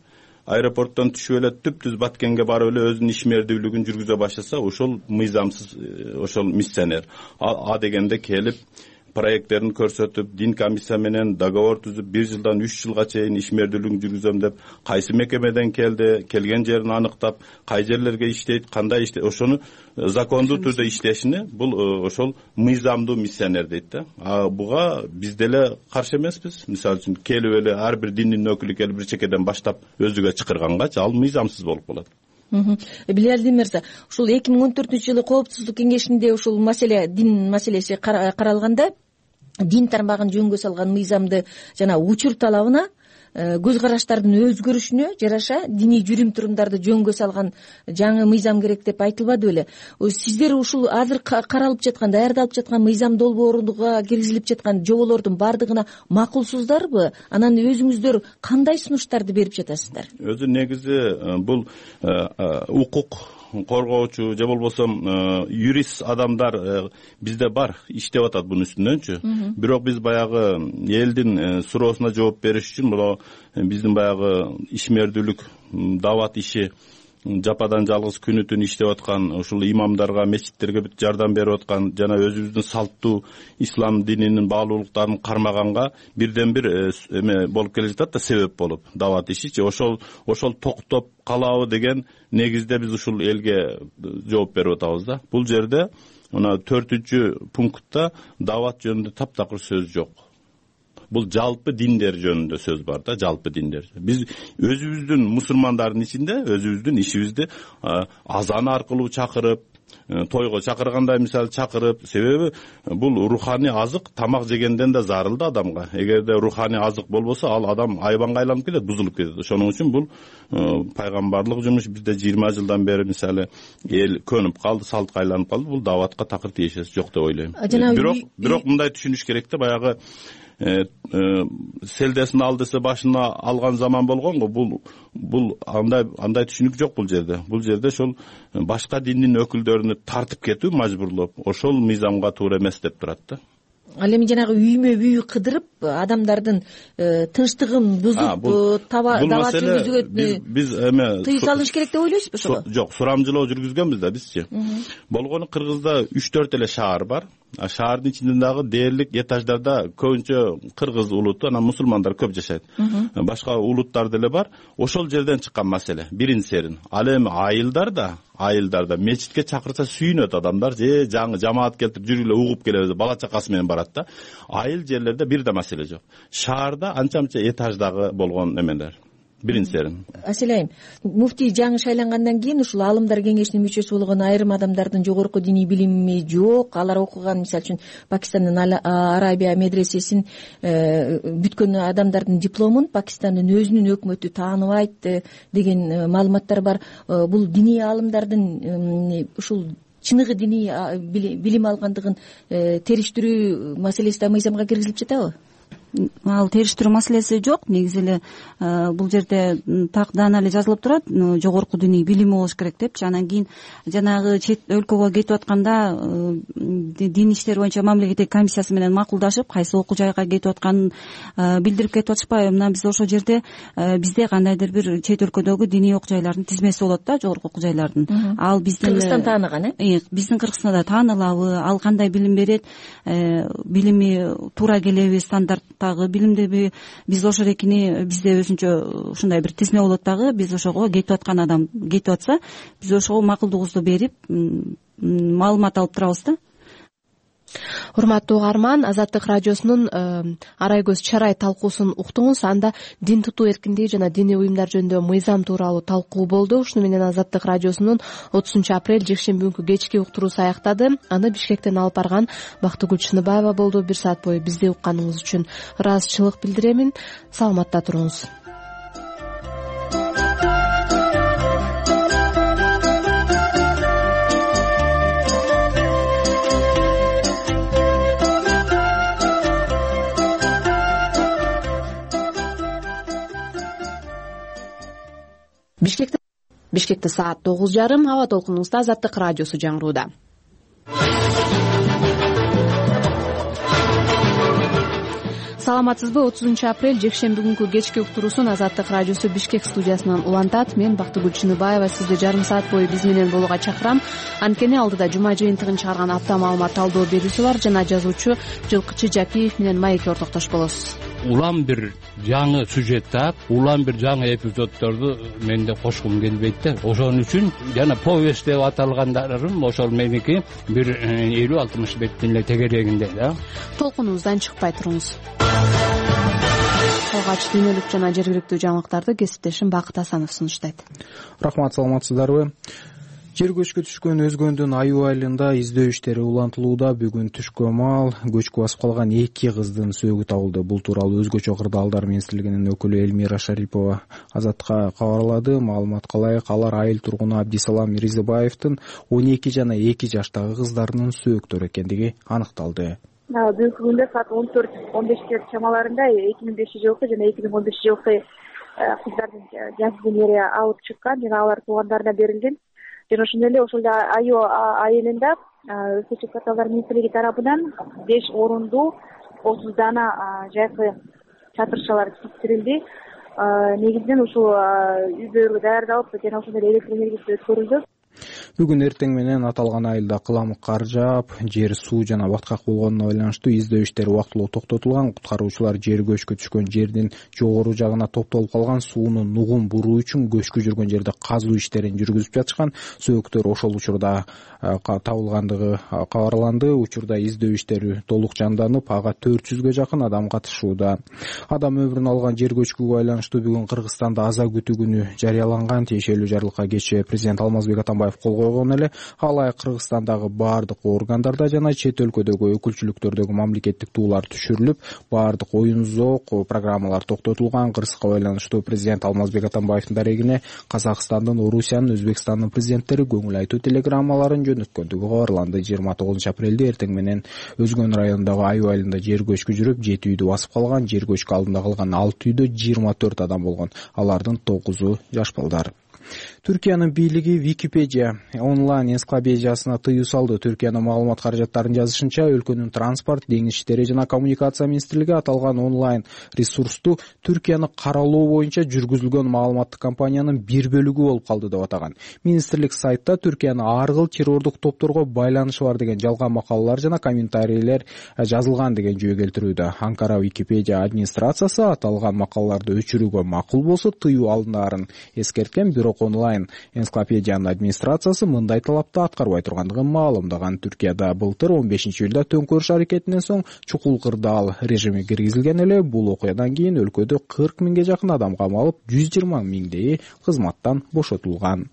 аэропорттон түшүп эле түп-түз Баткенге барып эле өзүнүн ишмердүүлүгүн жүргүзө баштаса, ошол мыйзамсыз, ошол миссионер. А дегенде келип проекттерин көрсөтүп, дин комиссия менен договор түзүп, 1 жылдан 3 жылга чейин ишмердүүлүгүн жүргүзөм деп, кайсы мекемеден келди, келген жерин аныктап, кай жерлерге иштейт, кандай иштейт, ошону закондуу түрдө иштешини бул ошол мыйзамдуу миссионер дейт да. Буга биз деле каршы эмеспиз. Мисалы үчүн келип эле ар бир диндин өкүлү келип бир чекеден баштап өзүгө чакыргангачы ал мыйзамсыз болуп калат. Билалдин мырза, ушул 2014-жылы Коопсуздук кеңешинде ушул маселе, дин маселеси каралганда, дин тармагын жөнгө салган мыйзамды жана учур талабына, көз караштардын өзгөрүшүнө жараша диний жүрүм турумдарды жөнгө салган жаңы мыйзам керек деп айтылбады беле? Сиздер ушул азыр каралып жаткан, даярдалып жаткан мыйзам долбооруга киргизилип жаткан жоболордун бардыгына макулсуздарбы? Анан өзүңүздөр кандай сунуштарды берип жатасыздар? Өзү негизи бул укук коргоочу же болбосо юрист адамдар бизде бар, иштеп атат бунун үстүнөнчү. Бирок биз баягы элдин суроосуна жооп бериш үчүн бул биздин баягы ишмердүүлүк, дават иши жападан жалгыз күнү түн иштеп аткан, ушул имамдарга, мечиттерге жардам берип аткан, жана өзүбүздүн салттуу ислам дининин баалуулуктарын кармаганга бирден бир эме болуп келе жатат да, себеп болуп дават ишичи. Ошол токтоп калабы деген негизде биз ушул элге жооп берип атабыз да. Бул жерде мына 4-пунктта дават жөнүндө таптакыр сөз жок. Бул жалпы диндер жөнүндө сөз бар да, жалпы диндер. Биз өзүбүздүн мусулмандардын ичинде өзүбүздүн ишибизди азан аркылуу чакырып, тойго чакыргандай мисалы чакырып, себеби бул руханий азык тамак жегенден да зарыл да адамга. Эгерде руханий азык болбосо, ал адам айбанга айланып кетет, бузулуп кетет. Ошоның үчүн бул пайгамбарлык жумуш бизде 20 жылдан бери мисалы эл көнүп калды, салтка айланып калды. Бул даватка такыр тиешеси жок деп ойлойм. Бирок мындай түшүнүш керек да, баягы селдесин ал десе башына алган заман болгон го. Бул андай түшүнүк жок бул жерде. Бул жерде ошол башка диндин өкүлдөрүнү тартып кетүү мажбурлоп, ошол мыйзамга туура эмес деп турат да. Ал эми жанагы үймө бүй кыдырып адамдардын тынчтыгын бузуп, дават жүргүзүүгө биз эме тыюу салыш керек деп ойлойсузбу ошого? Жок, сурамжылоо жүргүзгөнбүз да бизчи. Болгону Кыргызда 3-4 эле шаар бар. Шаардын ичинде дагы дээрлик этаждарда көбүнчө кыргыз улуту, анан мусулмандар көп жашайт. Башка улуттар деле бар. Ошол жерден чыккан маселе, бирин серин. Ал эми айылдарда мечитке чакырса сүйүнөт адамдар, же жаңы жамаат келтирип жүргүлө угуп келебиз, бала чакасы менен барат да. Айыл жерлерде бир да маселе жок. Шаарда анча-мынча этаждагы болгон эмелер. Бирин серин. Асель айым, муфтий жаңы шайлангандан кийин ушул аалымдар кеңешинин мүчөсү болгон айрым адамдардын жогорку диний билими жок. Алар окуган, мисалы үчүн, Пакистандын Арабия медресесин бүткөн адамдардын дипломун Пакистандын өзүнүн өкмөтү тааныбайт деген маалыматтар бар. Бул диний аалымдардын ушул чыныгы диний билим алгандыгын териштирүү маселеси да мыйзамга киргизилип жатабы? ал териштирүү маселеси жок. Негизи эле бул жерде так даана эле жазылып турат, жогорку диний билими болуш керек депчи. Анан кийин жанагы чет өлкөгө кетип атканда дин иштери боюнча мамлекеттик комиссиясы менен макулдашып, кайсы окуу жайга кетип атканын билдирип кетип атышпайбы. Мына биз ошол жерде бизде кандайдыр бир чет өлкөдөгү диний окуу жайлардын тизмеси болот да, жогорку окуу жайлардын. Ал биздин Кыргызстан тааныган, биздин Кыргызстанда таанылабы, ал кандай билим берет, билими туура келеби, стандарттагы билимдеби, биз ошонекини бизде өзүнчө ушундай бир тизме болот дагы. Биз ошого кетип аткан адам кетип атса, биз ошого макулдугубузду берип маалымат алып турабыз да. Урматтуу угарман, Азаттык радиосунун Арай көз чарай талкуусун уктуңуз. Анда дин тутуу эркиндиги жана диний уюмдар жөнүндө мыйзам тууралуу талкуу болду. Ушуну менен Азаттык радиосунун 30-апрель жекшемби күнкү кечки уктуруусу аяктады. Аны Бишкектен алып барган Бактыгүл Чыныбаева болду. 1 саат бою бизди укканыңыз үчүн ыраазычылык билдиремин. Саламатта туруңуз. Бишкекте саат 9:30. Аба толкунуңузда Азаттык радиосу жаңырууда. Саламатсызбы? 30-апрель жекшемби күнкү кечки уктуруусун Азаттык радиосу Бишкек студиясынан улантат. Мен Бактыгүл Чыныбаева сизди жарым саат бою биз менен болууга чакырам. Анткени алдыда жума жыйынтыгын чыгарган апта маалымат талдоо берүүсү бар жана жазуучу Жылкычы Жакиев менен маекке ортоктош болосуз. Улам бир жаңы сюжет таап, улам бир жаңы эпизоддорду мен да кошкум келбейт да. Ошон үчүн жана повесть деп аталгандарым ошол меники бир 50-60 беттин эле тегерегинде да. Толкунубуздан чыкпай туруңуз. Алгач дүйнөлүк жана жергиликтүү жаңылыктарды кесиптешим Бакыт Асанов сунуштайт. Рахмат, саламатсыздарбы? Жер көчкү түшкөн Өзгөндүн Аюу айылында издөө иштери улантылууда. Бүгүн түшкү маал көчкү басып калган 2 кыздын сөөгү табылды. Бул тууралуу Өзгөчө кырдаалдар министрлигинин өкүлү Элмира Шарипова Азаттыкка кабарлады. Маалыматка ылайык, алар айыл тургуну Абдисалам Мирзебаевдин 12 жана 2 жаштагы кыздарынын сөөктөрү экендиги аныкталды. Бүгүнкү күндө саат 14:15 чамаларында 2005-жылкы жана 2015-жылкы кыздардын жасөбүрүмдөрү алып чыккан жана алар туугандарына берилген. Жана ошондой эле ошол Аюу айылында Өзгөчө кырдаалдар министрлиги тарабынан 5 орундуу 30 дана жайкы чатырчалар тиктирилди. Негизинен ушул үй-бүлө даярдалып жана ошондой эле электр энергиясы өткөрүлдү. Бүгүн эртең менен аталган айылда кыламык кар жаап, жер суу жана баткак болгонуна байланыштуу издөө иштери убактылуу токтотулган. Куткаруучулар жер көчкү түшкөн жердин жогору жагына топтолуп калган сууну нугун буруу үчүн көчкү жүргөн жерде казуу иштерин жүргүзүп жатышкан. Сөөктөр ошол учурда табылгандыгы кабарланды. Учурда издөө иштери толук жанданып, ага 400гө жакын адам катышууда. Адам өмүрүн алган жер көчкүгө байланыштуу бүгүн Кыргызстанда аза күтүү күнү жарыяланган. Тиешелүү жарлыкка кечээ президент Алмазбек Атамбаев кол койгон эле. Алай Кыргызстандагы баардык органдарда жана чет өлкөдөгү өкүлчүлүктөрдөгү мамлекеттик туулар түшүрүлүп, баардык оюн зоок программалар токтотулган. Кырсыкка байланыштуу президент Алмазбек Атамбаевдин дарегине Казакстандын, Орусиянын, Өзбекстандын президенттери көңүл айтуу телеграммаларын жөнөткөндүгү кабарланды. 29-апрелде эртең менен Өзгөн районундагы Аюу айылында жер көчкү жүрүп, 7 үйдү басып калган. Жер көчкү алдында калган 6 үйдө 24 адам болгон. Алардын 9-у жаш балдар. Түркиянын бийлиги Википедия онлайн энциклопедиясына тыюу салды. Түркиянын маалымат каражаттарын жазышынча, өлкөнүн транспорт, деңиз иштери жана коммуникация министрлиги аталган онлайн ресурсту Түркияны каралоо боюнча жүргүзүлгөн маалыматтык кампаниянын бир бөлүгү болуп калды деп атаган. Министрлик сайтта Түркияны ар кыл террордук топторго байланышы бар деген жалган макалалар жана комментарийлер жазылган деген жөө келтирүүдө. Анкара Википедия администрациясы аталган макалаларды өчүрүүгө макул болсо тыюу алынарын эскерткен, бирок онлайн энциклопедиянын администрациясы мындай талапты аткарбай тургандыгын маалымдаган. Түркияда былтыр 15-июлда төңкөрүш аракетинен соң чукул кырдаал режими киргизилген эле. Бул окуядан кийин өлкөдө 40 миңге жакын адам камалып, 120 миңдейи кызматтан бошотулган.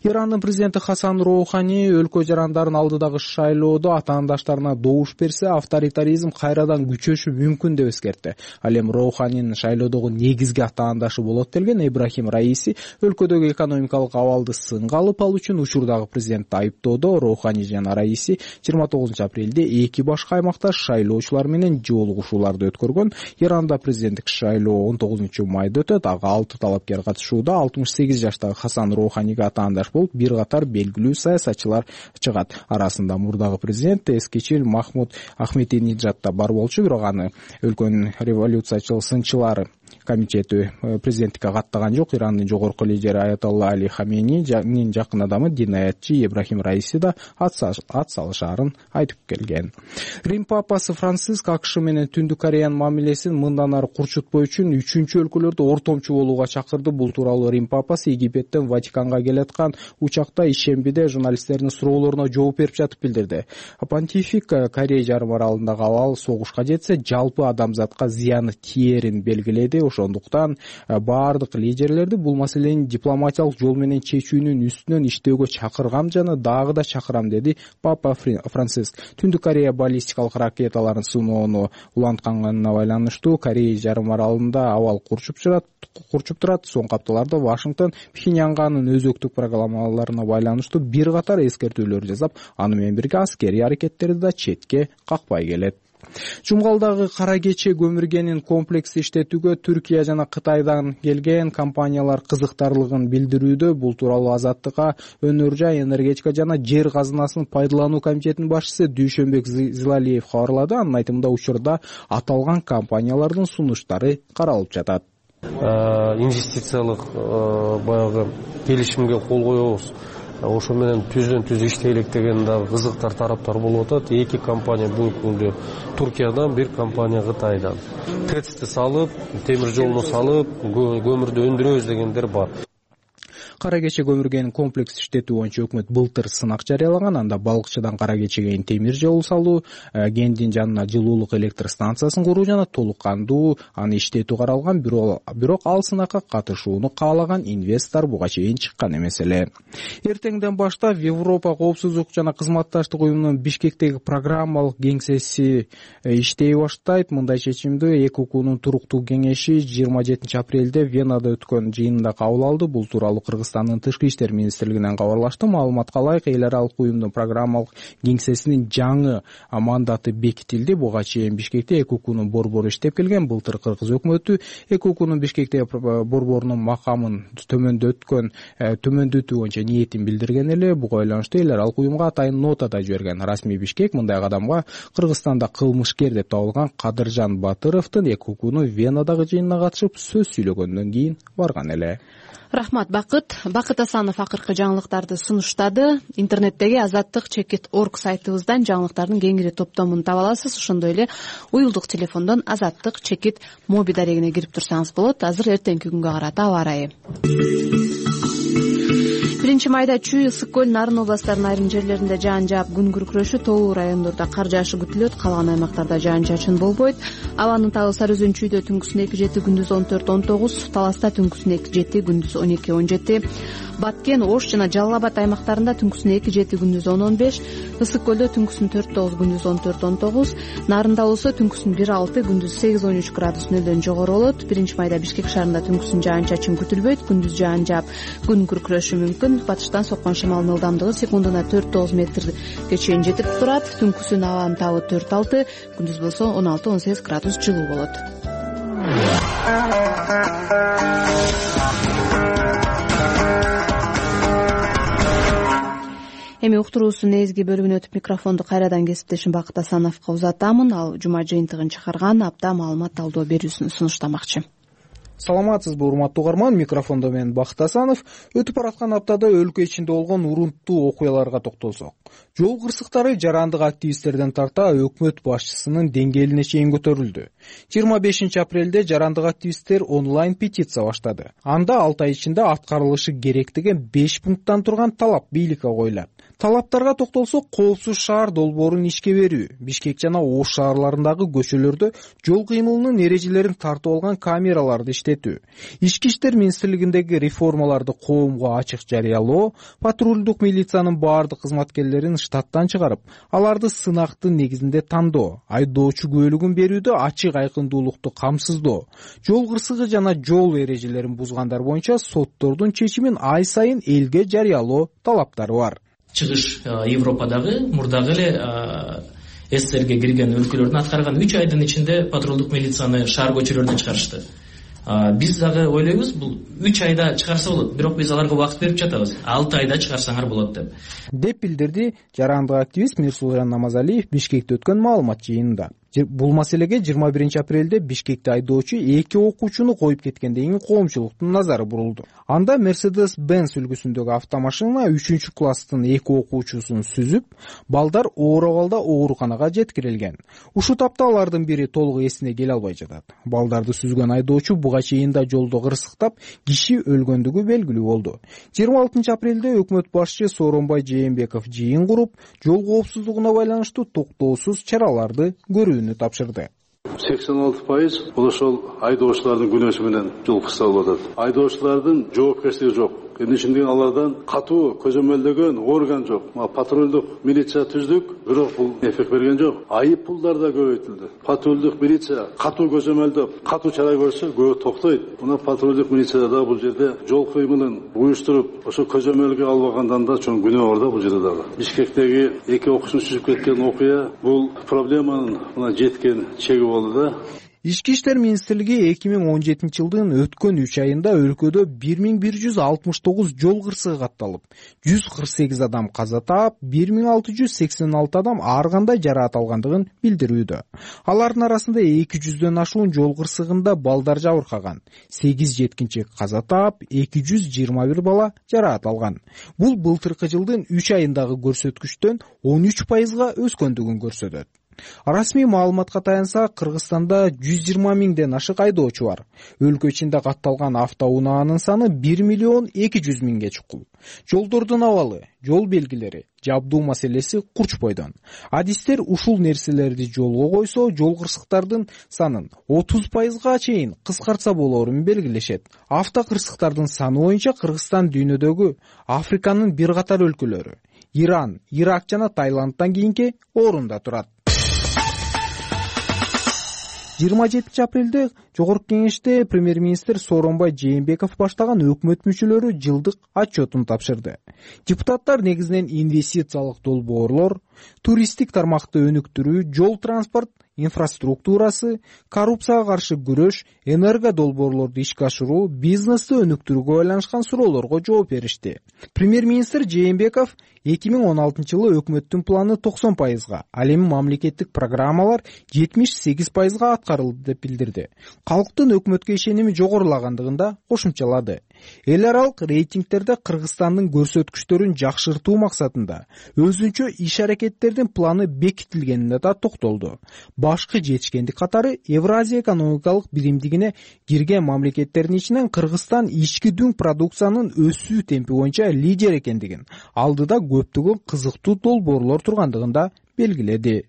Ирандын президенти Хасан Роухани өлкө жарандарын алдыдагы шайлоодо атаандаштарына добуш берсе, авторитаризм кайрадан күчөшү мүмкүн деп эскертти. Ал эми Роуханинин шайлоодогу негизги атаандашы болот делген Ибрахим Раиси өлкөдөгү экономикалык экономикалык абалды сынга алып, ал үчүн учурдагы президентти айыптоодо Роухани жана Раиси 29 апрелде эки башка аймакта шайлоочулар менен жолугушууларды өткөргөн. Иранда президенттик шайлоо 19 майда өтөт. Ага 6 талапкер катышууда. 68 жаштагы Хасан Роуханига атаандаш болуп, бир катар белгилүү саясатчылар чыгат. Арасында мурдагы президент Эскечил Махмуд Ахметинеджад да бар болчу, бирок аны өлкөнүн революциячыл сынчылары комитети президенттикке каттаган жок. Ирандын жогорку лидери Аятолла Али Хаменинин жакын адамы динаятчы Ибрахим Раиси да ат салышаарын айтып келген. Рим папасы Франциск АКШ менен Түндүк Кореянын мамилесин мындан ары курчутпоо үчүн үчүнчү өлкөлөрдө ортомчу болууга чакырды. Бул тууралуу Рим папасы Египеттен Ватиканга келаткан учакта ишембиде журналисттердин суроолоруна жооп берип жатып билдирди. Понтифик Корея жарым аралындагы абал согушка жетсе жалпы адамзатка зыяны тиерин белгиледи. Ошондуктан баардык лидерлерди бул маселени дипломатиялык жол менен чечүүнүн үстүнөн иштөөгө чакыргам жана дагы да чакырам, деди Папа Франциск. Түндүк Корея баллистикалык ракеталарын сыноону улантканына байланыштуу Корея жарым аралында абал курчуп турат. Соңку апталарда Вашингтон Пхеньянгнын өзөктүк программаларына байланыштуу бир катар эскертүүлөр жасап, аны менен бирге аскерий аракеттерди да четке какпай келет. Жумгалдагы Кара Кече көмүргенин комплекси иштетүүгө Түркия жана Кытайдан келген компаниялар кызыктарлыгын билдирүүдө. Бул тууралуу Азаттыкка Өнөр жай, энергетика жана жер казынасын пайдалануу комитетинин башчысы Дүйшөнбек Зилалиев кабарлады. Анын айтымында, учурда аталган компаниялардын сунуштары каралып жатат. Инвестициялык баягы келишимге кол коебуз. Ошо менен түздөн түз иштейлик деген дагы кызыктар тараптар болуп атат. Эки компания бул күндө Туркиядан, бир компания Кытайдан. ТЭЦти салып, темир жолуну салып, көмүрдү өндүрөбүз дегендер бар. Кара Кече көмүргенин комплекс иштетүү боюнча өкмөт былтыр сынак жарыялаган. Анда Балыкчыдан Кара Кечеге темир жол салуу, кенттин жанына жылуулук электр станциясын куруу жана толук кандуу аны иштетүү каралган. Бирок ал сынакка катышууну каалаган инвестор буга чейин чыккан эмес эле. Эртеңден баштап Европа коопсуздук жана кызматташтык уюмунун Бишкектеги программалык кеңсеси иштей баштайт. Мындай чечимди ЭКУКнун туруктуу кеңеши 27 апрелде Венада өткөн жыйынында кабыл алды. Бул тууралуу Кыргызстандын Тышкы иштер министрлигинен кабарлашты. Маалыматка ылайык, эл аралык уюмдун программалык кеңсесинин жаңы мандаты бекитилди. Буга чейин Бишкекте ЭКУКнун борбору иштеп келген. Былтыр Кыргыз өкмөтү ЭКУКнун Бишкектеги борборунун макамын төмөндөтүү боюнча ниетин билдирген эле. Буга байланыштуу эл аралык уюмга атайын нота да жиберген. Расмий Бишкек мындай кадамга Кыргызстанда кылмышкер деп табылган Кадыржан Батыровдун ЭКУКнун Венадагы жыйынына катышып сөз сүйлөгөндөн кийин барган эле. Рахмат, Бакыт Асанов акыркы жаңылыктарды сунуштады. Интернеттеги azattik.org сайтыбыздан жаңылыктардын кеңири топтомун таба аласыз. Ошондой эле уюлдук телефондон azattik.mobi дарегине кирип турсаңыз болот. Азыр эртеңки күнгө карата аба ырайы. 1 майда Чүй, Ысык көл, Нарын областарынын айрым жерлеринде жаан жаап, күн күркүрөшү, тоо райондордо кар жаашы күтүлөт, калган аймактарда жаан-чачын болбойт. Абанын табы Сары Өзөн Чүйдө түнкүсүн 2-7, күндүз 14-19, Таласта түнкүсүн 2-7, күндүз 12-17, Баткен, Ош жана Жалал Абад аймактарында түнкүсүн 2-7, күндүз 10-15, Ысык көлдө түнкүсүн 4-9, күндүз 14-19, Нарында болсо түнкүсүн 1-6, күндүз 8-13 градус нөлдөн жогору болот. 1 майда Бишкек шаарында түнкүсүн жаан-чачын күтүлбөйт, күндүз жаан жаап, күн күркүрөшү мүмкүн. Батыштан соккон шамалдын ылдамдыгы секундуна 4-9 метрге чейин жетип турат. Түнкүсүн абанын табы 4-6, күндүз болсо 16-18 градус жылуу болот. Эми уктуруусунун негизги бөлүгүнө өтүп микрофонду кайрадан кесиптешим Бакыт Асановго узатамын. Ал жума жыйынтыгын чыгарган апта маалымат талдоо берүүсүн сунуштамакчы. Саламатсызбы, урматтуу угарман, микрофондо мен Бакыт Асанов. Өтүп бараткан аптада өлкө ичинде болгон урунттуу окуяларга токтолсок. Жол кырсыктары жарандык активисттерден тарта өкмөт башчысынын деңгээлине чейин көтөрүлдү. 25 апрелде жарандык активисттер онлайн петиция баштады. Анда 6 ай ичинде аткарылышы керек деген 5 пункттан турган талап бийликке коюлат. Талаптарга токтолсок, коопсуз шаар долбоорун ишке берүү, Бишкек жана Ош шаарларындагы көчөлөрдө жол кыймылынын эрежелерин тартып алган камераларды иштетүү, ички иштер министрлигиндеги реформаларды коомго ачык жарыялоо, патрулдук милициянын баардык кызматкерлерин штаттан чыгарып, аларды сынактын негизинде тандоо, айдоочу күбөлүгүн берүүдө ачык айкындуулукту камсыздоо, жол кырсыгы жана жол эрежелерин бузгандар боюнча соттордун чечимин ай сайын элге жарыялоо талаптары бар. Чыгыш Европадагы мурдагы эле СССРге кирген өлкөлөрдүн аткарган 3 айдын ичинде патрулдук милицияны шаар көчөлөрүнөн чыгарышты. Биз дагы ойлойбуз, бул 3 айда чыгарса болот, бирок биз аларга убакыт берип жатабыз. 6 айда чыгарсаңар болот деп билдирди жарандык активист Мирсулжан Намазалиев Бишкекте өткөн маалымат жыйынында. Бул маселеге 21-апрелде Бишкекте айдоочу 2 окуучуну коюп кеткенден кийин коомчулуктун назары бурулду. Анда Mercedes-Benz үлгүсүндөгү автомашина 3-класстын 2 окуучусун сүзүп, балдар оор абалда ооруканага жеткирилген. Ушул тапта алардын бири толук эсине келе албай жатат. Балдарды сүзгөн айдоочу буга чейин да жолдо кырсыктап, киши өлгөндүгү белгилүү болду. 26-апрелде өкмөт башчы Сооронбай Жээнбеков жыйын куруп, жол коопсуздугуна байланыштуу токтоосуз чараларды көрүүнү тапшырды. 86% бул ошол айдоочулардын күнөөсү менен жол кырсалып атат. Айдоочулардын жоопкерчилиги жок. Эмне үчүн алардан катуу көзөмөлдөгөн орган жок. Патрулдук милиция түздүк, бирок бул эффект берген жок. Айып пулдар да көбөйтүлдү. Патрулдук милиция катуу көзөмөлдөп, катуу чара көрсө көп токтойт. Мына патрулдук милицияда да бул жерде жол кыймылын уюштуруп, ошо көзөмөлгө албагандан да чоң күнөө бар да бул жерде дагы. Бишкектеги 2 окуучуну сүзүп кеткен окуя бул проблеманын мына жеткен чеги болду да. Ички иштер министрлиги 2017-жылдын өткөн 3 айында өлкөдө 1169 жол кырсыгы катталып, 148 адам каза таап, 1686 адам ар кандай жараат алгандыгын билдирүүдө. Алардын арасында 200дөн ашуун жол кырсыгында балдар жабыркаган, 8 жеткинчек каза таап, 221 бала жараат алган. Бул былтыркы жылдын 3 айындагы көрсөткүчтөн 13%га өскөндүгүн көрсөтөт. Расмий маалыматка таянса, Кыргызстанда 120 миңден ашык айдоочу бар. Өлкө ичинде катталган автоунаанын саны 1 миллион 200 миңге чукул. Жолдордун абалы, жол белгилери, жабдуу маселеси курч бойдон. Адистер ушул нерселерди жолго койсо, жол кырсыктардын санын 30%га чейин кыскартса болоорун белгилешет. Автокырсыктардын саны боюнча Кыргызстан дүйнөдөгү Африканын бир катар өлкөлөрү, Иран, Ирак жана Таиландтан кийинки орунда турат. 27-апрелде Жогорку Кеңеште премьер-министр Сооронбай Жээнбеков баштаган өкмөт мүчөлөрү жылдык отчетун тапшырды. Депутаттар негизинен инвестициялык долбоорлор, туристтик тармакты өнүктүрүү, жол транспорт инфраструктурасы, коррупцияга каршы күрөш, энерго долбоорлорду ишке ашыруу, бизнести өнүктүрүүгө байланышкан суроолорго жооп беришти. Премьер-министр Жээнбеков 2016-жылы өкмөттүн планы 90%га, ал эми мамлекеттик программалар 78%га аткарылды деп билдирди. Калктын өкмөткө ишеними жогорулагандыгын да кошумчалады. Эл аралык рейтингтерде Кыргызстандын көрсөткүчтөрүн жакшыртуу максатында өзүнчө иш-аракеттердин планы бекитилгенине да токтолду. Башкы жетишкендик катары Евразия экономикалык биримдигине кирген мамлекеттердин ичинен Кыргызстан ички дүң продукциянын өсүү темпи боюнча лидер экендигин, алдыда көптөгөн кызыктуу долбоорлор тургандыгын да белгиледи.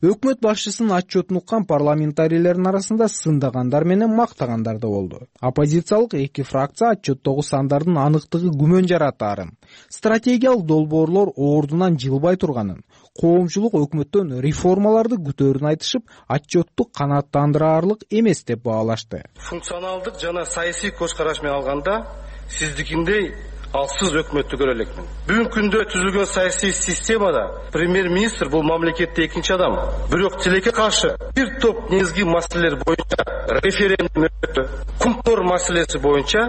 Өкмөт башчысынын отчетун уккан парламентарийлердин арасында сындагандар менен мактагандар да болду. Оппозициялык 2 фракция отчеттогу сандардын аныктыгы күмөн жаратаарын, стратегиялык долбоорлор ордунан жылбай турганын, коомчулук өкмөттөн реформаларды күтөөрүн айтышып, отчетту канааттандыраарлык эмес деп баалашты. Функционалдык жана саясий көз караш менен алганда, сиздикиндей алсыз өкмөттү көрө элекмин. Бүгүнкү күндө түзүлгөн саясий системада премьер-министр бул мамлекетте экинчи адам. Бирок тилекке каршы бир топ негизги маселелер боюнча референдум өттү. Кумтор маселеси боюнча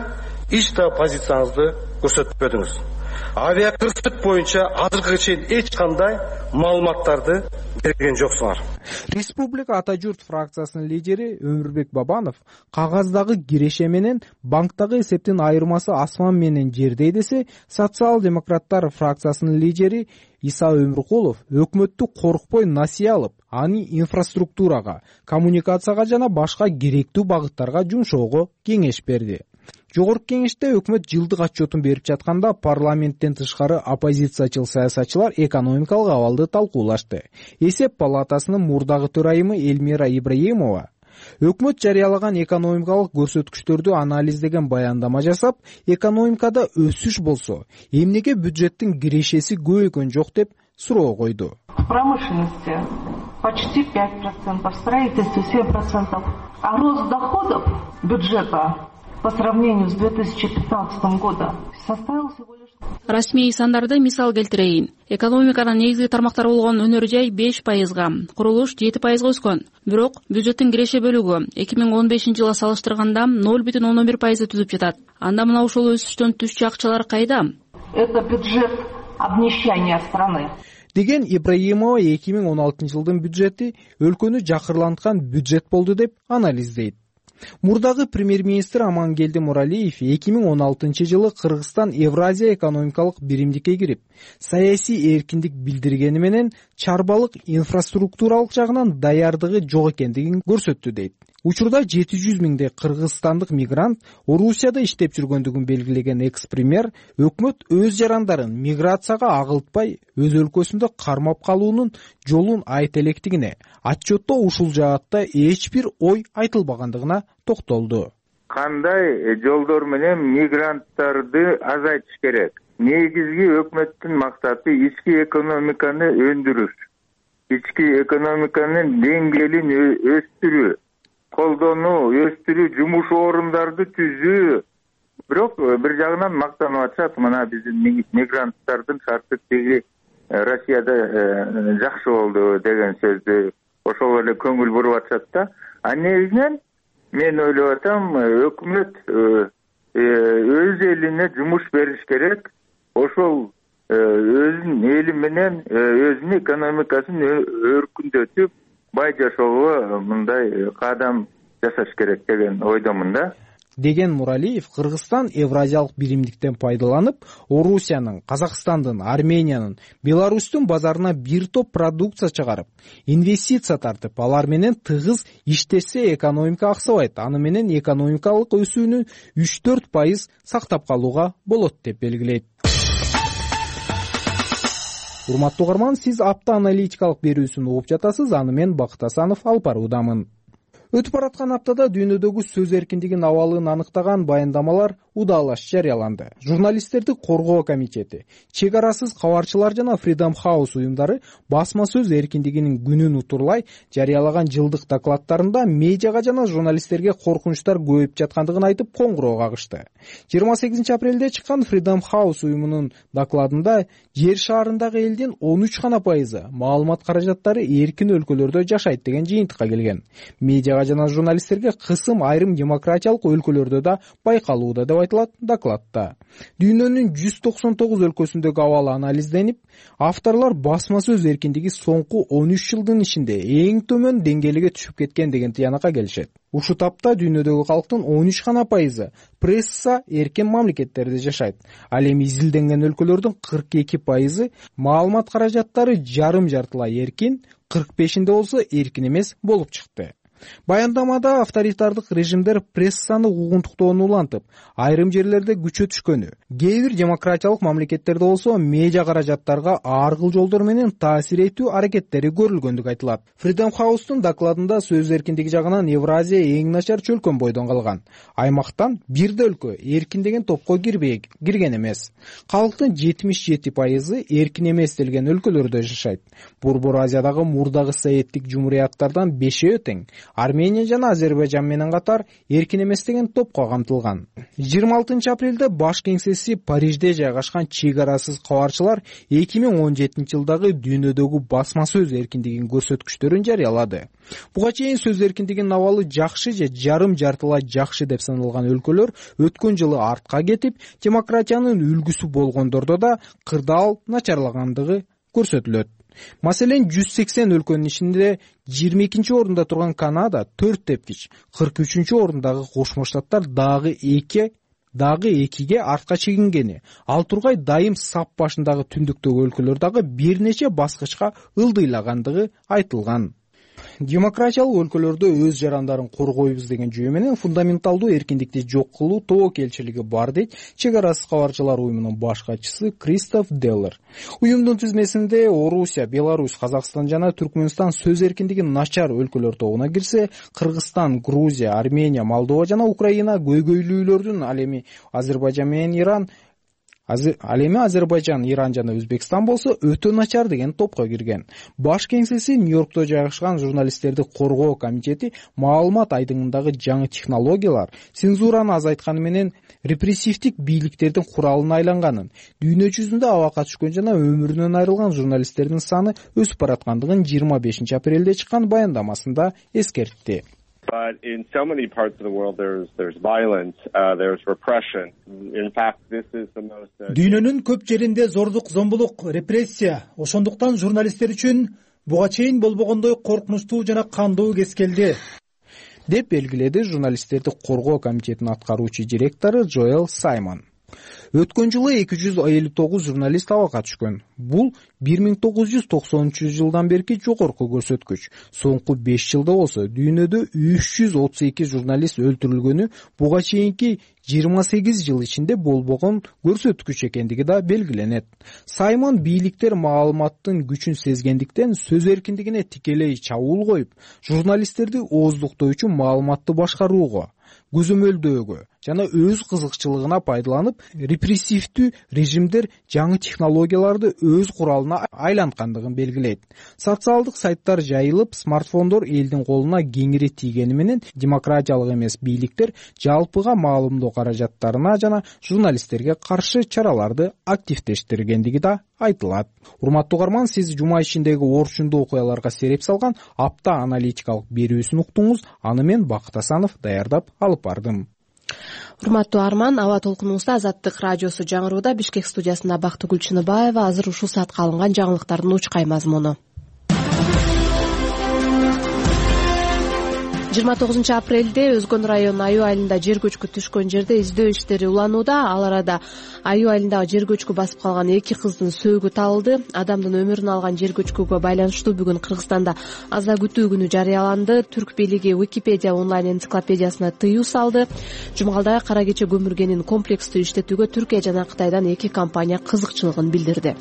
эч да позицияңызды көрсөтпөдүңүз. Авиакырсык боюнча азыркыга чейин эч кандай маалыматтарды берген жоксуңар. Республика Ата журт фракциясынын лидери Өмүрбек Бабанов кагаздагы киреше менен банктагы эсептин айырмасы асман менен жердей десе, социал-демократтар фракциясынын лидери Иса Өмүркулов өкмөттү коркпой насыя алып, аны инфраструктурага, коммуникацияга жана башка керектүү багыттарга жумшоого кеңеш берди. Жогорку кеңеште өкмөт жылдык отчетун берип жатканда парламенттен тышкары оппозициячыл саясатчылар экономикалык абалды талкуулашты. Эсеп палатасынын мурдагы төрайымы Элмира Ибраимова өкмөт жарыялаган экономикалык көрсөткүчтөрдү анализдеген баяндама жасап, экономикада өсүш болсо, эмнеге бюджеттин кирешеси көбөйгөн жок деп суроо койду. В промышленности почти 5%, в строительстве 7%, а рост доходов бюджета по сравнению с 2015 годом составил всего лишь... Расмий сандарды мисал келтирейин. Экономиканын негизги тармактары болгон өнөр жай 5%, курулуш 7% өскөн. Бирок бюджеттин киреше бөлүгү 2015 жылга салыштырганда 0,11% түзүп жатат. Анда мына ушул өсүштөн түшчү акчалар кайда? Это бюджет обнищания страны. Деген Ибраимова 2016 жылдын бюджети өлкөнү жакырланткан бюджет болду деп анализдейт. Мурдагы премьер-министр Амангелди Муралиев 2016 жылы Кыргызстан Евразия экономикалык биримдикке кирип, саясий эркиндик билдиргени менен чарбалык инфраструктуралык жагынан даярдыгы жок экендигин көрсөттү дейт. Учурда 700 миңдей кыргызстандык мигрант Орусияда иштеп жүргөндүгүн белгилеген экс-премьер өкмөт өз жарандарын миграцияга агылтпай, өз өлкөсүндө кармап калуунун жолун айта электигине, отчетто ушул жаатта эч бир ой айтылбагандыгына токтолду. Кандай жолдор менен мигранттарды азайтыш керек? Негизги өкмөттүн максаты ички экономиканы өндүрүш, ички экономиканын деңгээлин өстүрүү, колдонуу, өстүрүү, жумуш орундарды түзүү. Бирок бир жагынан мактанып атышат, мына биздин мигранттардын шарты тиги Россияда жакшы болду деген сөздү ошол эле көңүл буруп атышат да. А негизинен мен ойлоп атам, өкмөт өз элине жумуш бериш керек. Ошол өзүнүн эли менен өзүнүн экономикасын өркүндөтүп, бай жашоого мындай кадам жасаш керек деген ойдомун да. Деген Муралиев Кыргызстан Евразиялык биримдиктен пайдаланып, Орусиянын, Казакстандын, Армениянын, Беларустун базарына бир топ продукция чыгарып, инвестиция тартып, алар менен тыгыз иштешсе экономика аксабайт, аны менен экономикалык өсүүнү 3-4% сактап калууга болот деп белгилейт. Урматтуу угарман, сиз апта аналитикалык берүүсүн угуп жатасыз, аны мен Бакыт Асанов алып баруудамын. Өтүп бараткан аптада дүйнөдөгү сөз эркиндигинин абалын аныктаган баяндамалар удаалаш жарыяланды. Журналисттерди коргоо комитети, чек арасыз кабарчылар жана Freedom House уюмдары басма сөз эркиндигинин күнүн утурлай жарыялаган жылдык докладтарында медиага жана журналисттерге коркунучтар көбөйүп жаткандыгын айтып коңгуроо кагышты. 28 апрелде чыккан Freedom House уюмунун докладында жер шаарындагы элдин 13% маалымат каражаттары эркин өлкөлөрдө жашайт деген жыйынтыкка келген. Медиага жана журналисттерге кысым айрым демократиялык өлкөлөрдө да байкалууда деп айтылат докладта. Дүйнөнүн 199 өлкөсүндөгү абал анализденип, авторлор басма сөз эркиндиги соңку 13 жылдын ичинде эң төмөн деңгээлге түшүп кеткен деген тыянакка келишет. Ушул тапта дүйнөдөгү калктын 13% пресса эркен мамлекеттерде жашайт. Ал эми изилденген өлкөлөрдүн 42% маалымат каражаттары жарым-жартылай эркин, 45-inde болсо эркин эмес болуп чыкты. Баяндамада авторитардык режимдер прессаны угунтуктоону улантып, айрым жерлерде күчө түшкөнү, кээ бир демократиялык мамлекеттерде болсо медиа каражаттарга ар кыл жолдор менен таасир этүү аракеттери көрүлгөндүгү айтылат. Freedom House'тун докладында сөз эркиндиги жагынан Евразия эң начар чөлкөн бойдон калган. Аймактан бир да өлкө эркин деген топко кирген эмес. Калктын 77% эркин эмес делген өлкөлөрдө жашайт. Борбор Азиядагы мурдагы советтик жумурияттардан 5-өө тең. Армения жана Азербайжан менен катар эркин эмес деген топко камтылган. 26 апрелде баш кеңсеси Парижде жайгашкан чек арасыз кабарчылар 2017 жылдагы дүйнөдөгү басма сөз эркиндигинин көрсөткүчтөрүн жарыялады. Буга чейин сөз эркиндигинин абалы жакшы же жарым-жартылай жакшы деп саналган өлкөлөр өткөн жылы артка кетип, демократиянын үлгүсү болгондордо да кырдаал начарлагандыгы көрсөтүлөт. Маселен, 180 өлкөнүн ичинде 22 орунда турган Канада 4 тепкич, 43 орундагы Кошмо Штаттар дагы 2ге артка чегингени, ал тургай дайым сап башындагы түндүктөгү өлкөлөр дагы бир нече баскычка ылдыйлагандыгы айтылган. демократиялык өлкөлөрдө өз жарандарын коргойбуз деген жүйө менен фундаменталдуу эркиндикти жок кылуу тобокелчилиги бар дейт чек арасыз кабарчылар уюмунун баш катчысы Кристоф Деллер. Уюмдун тизмесинде Орусия, Беларусь, Казакстан жана Түркмөнстан сөз эркиндиги начар өлкөлөр тобуна кирсе, Кыргызстан, Грузия, Армения, Молдова жана Украина көйгөйлүүлөрдүн ал эми Азербайжан, Иран жана Өзбекстан болсо өтө начар деген топко кирген. Баш кеңсеси Нью-Йоркто жайгашкан журналисттерди коргоо комитети маалымат айдыңындагы жаңы технологиялар цензураны азайтканы менен репрессивдик бийликтердин куралына айланганын, дүйнө жүзүндө абакка түшкөн жана өмүрүнөн айрылган журналисттердин саны өсүп бараткандыгын 25 апрелде чыккан баяндамасында эскертти. But in so many parts of the world, there's violence, there's repression. In fact, this is the most. Дүйнөнүн көп жеринде зордук, зомбулук, репрессия. Ошондуктан журналисттер үчүн буга чейин болбогондой коркунучтуу жана кандуу кез келди, деп белгиледи журналисттерди коргоо комитетинин аткаруучу директору Джоэл Саймон. Өткөн жылы 259 журналист абакка түшкөн. Бул 1990 берки жогорку көрсөткүч. Соңку 5 жылда болсо дүйнөдө 332 журналист өлтүрүлгөнү буга чейинки 28 жыл ичинде болбогон көрсөткүч экендиги да белгиленет. Саймон бийликтер маалыматтын күчүн сезгендиктен сөз эркиндигине тикелей чабуул коюп, журналисттерди ооздуктоо үчүн маалыматты башкарууга, көзөмөлдөөгө жана өз кызыкчылыгына пайдаланып, репрессивдүү режимдер жаңы технологияларды өз куралына айланткандыгын белгилейт. Социалдык сайттар жайылып, смартфондор элдин колуна кеңири тийгени менен демократиялык эмес бийликтер жалпыга маалымдоо каражаттарына жана журналисттерге каршы чараларды активдештиргендиги да айтылат. Урматтуу угарман, сиз жума ичиндеги орчундуу окуяларга сереп салган апта аналитикалык берүүсүн уктуңуз. Аны мен Бакыт Асанов даярдап алып бардым. Урматтуу Арман, аба толкунуңузда Азаттык радиосу жаңырууда. Бишкек студиясында Бактыгүл Чыныбаева. Азыр ушул саатка алынган жаңылыктардын учкай мазмуну. 29 апрелде Өзгөн районунун Аюу айылында жер көчкү түшкөн жерде издөө иштери уланууда. Ал арада Аюу айылындагы жер көчкү басып калган 2 кыздын сөөгү табылды. Адамдын өмүрүн алган жер көчкүгө байланыштуу бүгүн Кыргызстанда аза күтүү күнү жарыяланды. Түрк бийлиги Википедия онлайн энциклопедиясына тыюу салды. Жумгалда кара кече көмүргенин комплекстүү иштетүүгө Түркия жана Кытайдан 2 компания кызыкчылыгын билдирди.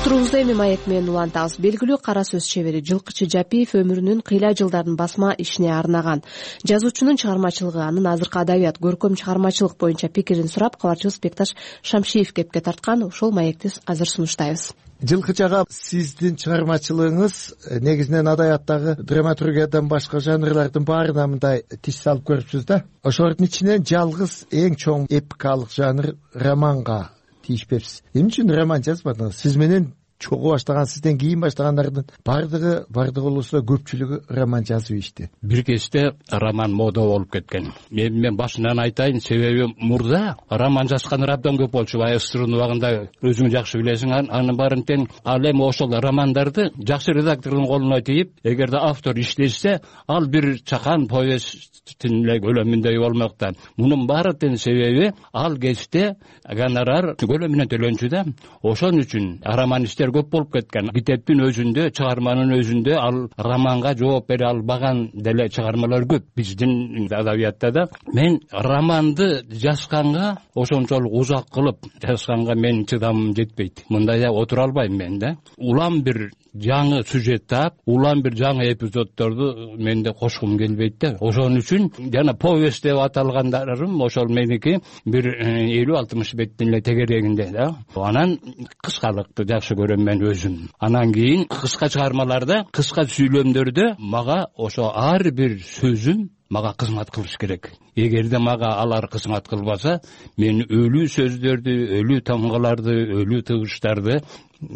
Турубузда эми маек менен улантабыз. Белгилүү кара сөз чебери Жылкычы Жапиев өмүрүнүн кыйла жылдарын басма ишине арнаган. Жазуучунун чыгармачылыгы, анын азыркы адабият, көркөм чыгармачылык боюнча пикирин сурап, кабарчыбыз Бекташ Шамшиев кепке тарткан. Ошол маекти азыр сунуштайбыз. Жылкычы ага, сиздин чыгармачылыгыңыз негизинен адабияттагы драматургиядан башка жанрлардын баарына мындай тиш салып көрүпсүз да. Ошолордун ичинен жалгыз эң чоң эпикалык жанр романга тийишпепсиз. Эмне үчүн роман жазбадыңыз? Сиз менен чогуу баштаган, сизден кийин баштагандардын бардыгы болсо көпчүлүгү роман жазып ишти. Бир кезде роман мода болуп кеткен. Мен башынан айтайын, себеби мурда роман жазган абдан көп болчу. СССРдын убагында өзүң жакшы билесиң, анын баарын тең. Ал эми ошол романдарды жакшы редактордун колуна тийип, эгерде автор иштесе, ал бир чакан повесттин эле көлөмүндөй болмок да. Мунун баары тең себеби ал кезде гонорар көлөмүнөн төлөнчү да. Ошон үчүн романисттер көп болуп кеткен. Китептин өзүндө, чыгарманын өзүндө ал романга жооп бере албаган деле чыгармалар көп биздин адабиятта да. Мен романды жазганга, ошончолук узак кылып жазганга менин чыдамым жетпейт. Мындай отура албайм мен да. Улам бир жаңы сюжет таап, улам бир жаңы эпизоддорду менде кошкум келбейт да. Ошон үчүн жана повесть деп аталгандарым ошол меники бир 50-60 беттин эле тегерегинде да. Анан кыскалыкты жакшы көрөм мен өзүм. Анан кийин кыска чыгармаларда, кыска сүйлөмдөрдө мага ошо ар бир сөзүм мага кызмат кылыш керек. Эгерде мага алар кызмат кылбаса, мен өлүү сөздөрдү, өлүү тамгаларды, өлүү тыгыштарды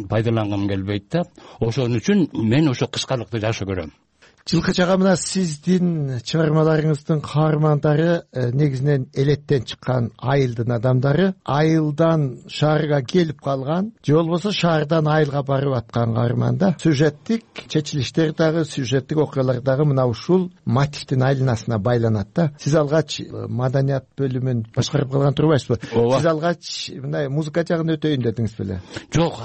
пайдалангым келбейт да. Ошон үчүн мен ошо кыскалыкты жакшы көрөм. Жылкыч ага, мына сиздин чыгармаларыңыздын каармандары негизинен элеттен чыккан айылдын адамдары, айылдан шаарга келип калган же болбосо шаардан айылга барып аткан каарман да. Сюжеттик чечилиштер дагы, сюжеттик окуялар дагы мына ушул мотивдин айланасына байланат да. Сиз алгач маданият бөлүмүн башкарып калган турбайсызбы? Сиз алгач мындай музыка жагын өтөйүн дедиңиз беле? Жок,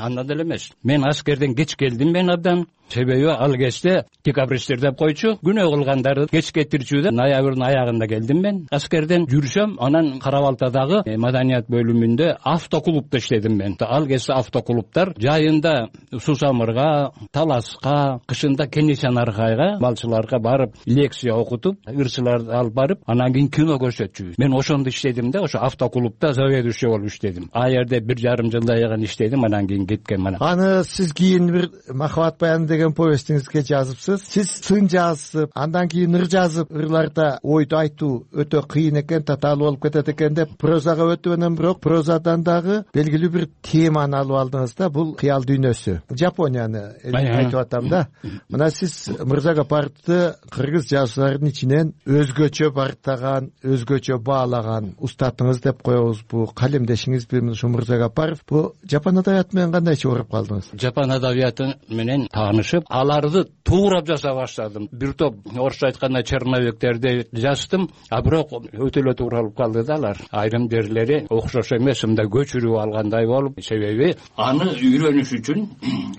анда деле эмес. Мен аскерден кеч келдим мен абдан. Себеби ал кезде декабристтер деп койчу, күнөө кылгандарды кеч кетирчү. Ноябрдын аягында келдим мен аскерден. Жүрсөм, анан Кара-Балтадагы маданият бөлүмүндө автоклубда иштедим мен. Ал кезде автоклубтар жайында Сусамырга, Таласка, кышында Кенесянаркайга, балчыларга барып лекция окутуп, ырчыларды алып барып, анан кийин кино көрсөтчүбүз. Мен ошондо иштедим да, ошо автоклубда заведующий болуп иштедим. А жерде 1,5 жылдай иштедим, анан кийин кеткем. Аны сиз кийин бир Махабат баяны деген повестиңизге жазыпсыз. Сиз сын жазып, андан кийин ыр жазып, ырларда ойду айтуу өтө кыйын экен, татаалуу болуп кетет экен деп прозага өтүп, анан бирок прозадан дагы белгилүү бир теманы алып алдыңыз да. Бул кыял дүйнөсү, Жапонияны айтып атам да. Мына сиз Мырза Гапаровду кыргыз жазуучуларынын ичинен өзгөчө бартаган, өзгөчө баалаган устатыңыз деп коебузбу, калемдешиңизби ушу Мырза Гапаров? Бул жапон адабияты менен кандай чогулуп калдыңыз? Жапон адабияты менен таанышып, аларды туурап жаса баштадым. Бир топ орусча айтканда черновиктерди жаздым, а бирок өтө эле тууралып калды да алар. Айрым жерлери окшош эмес, мындай көчүрүп алгандай болуп, себеби аны үйрөнүш үчүн,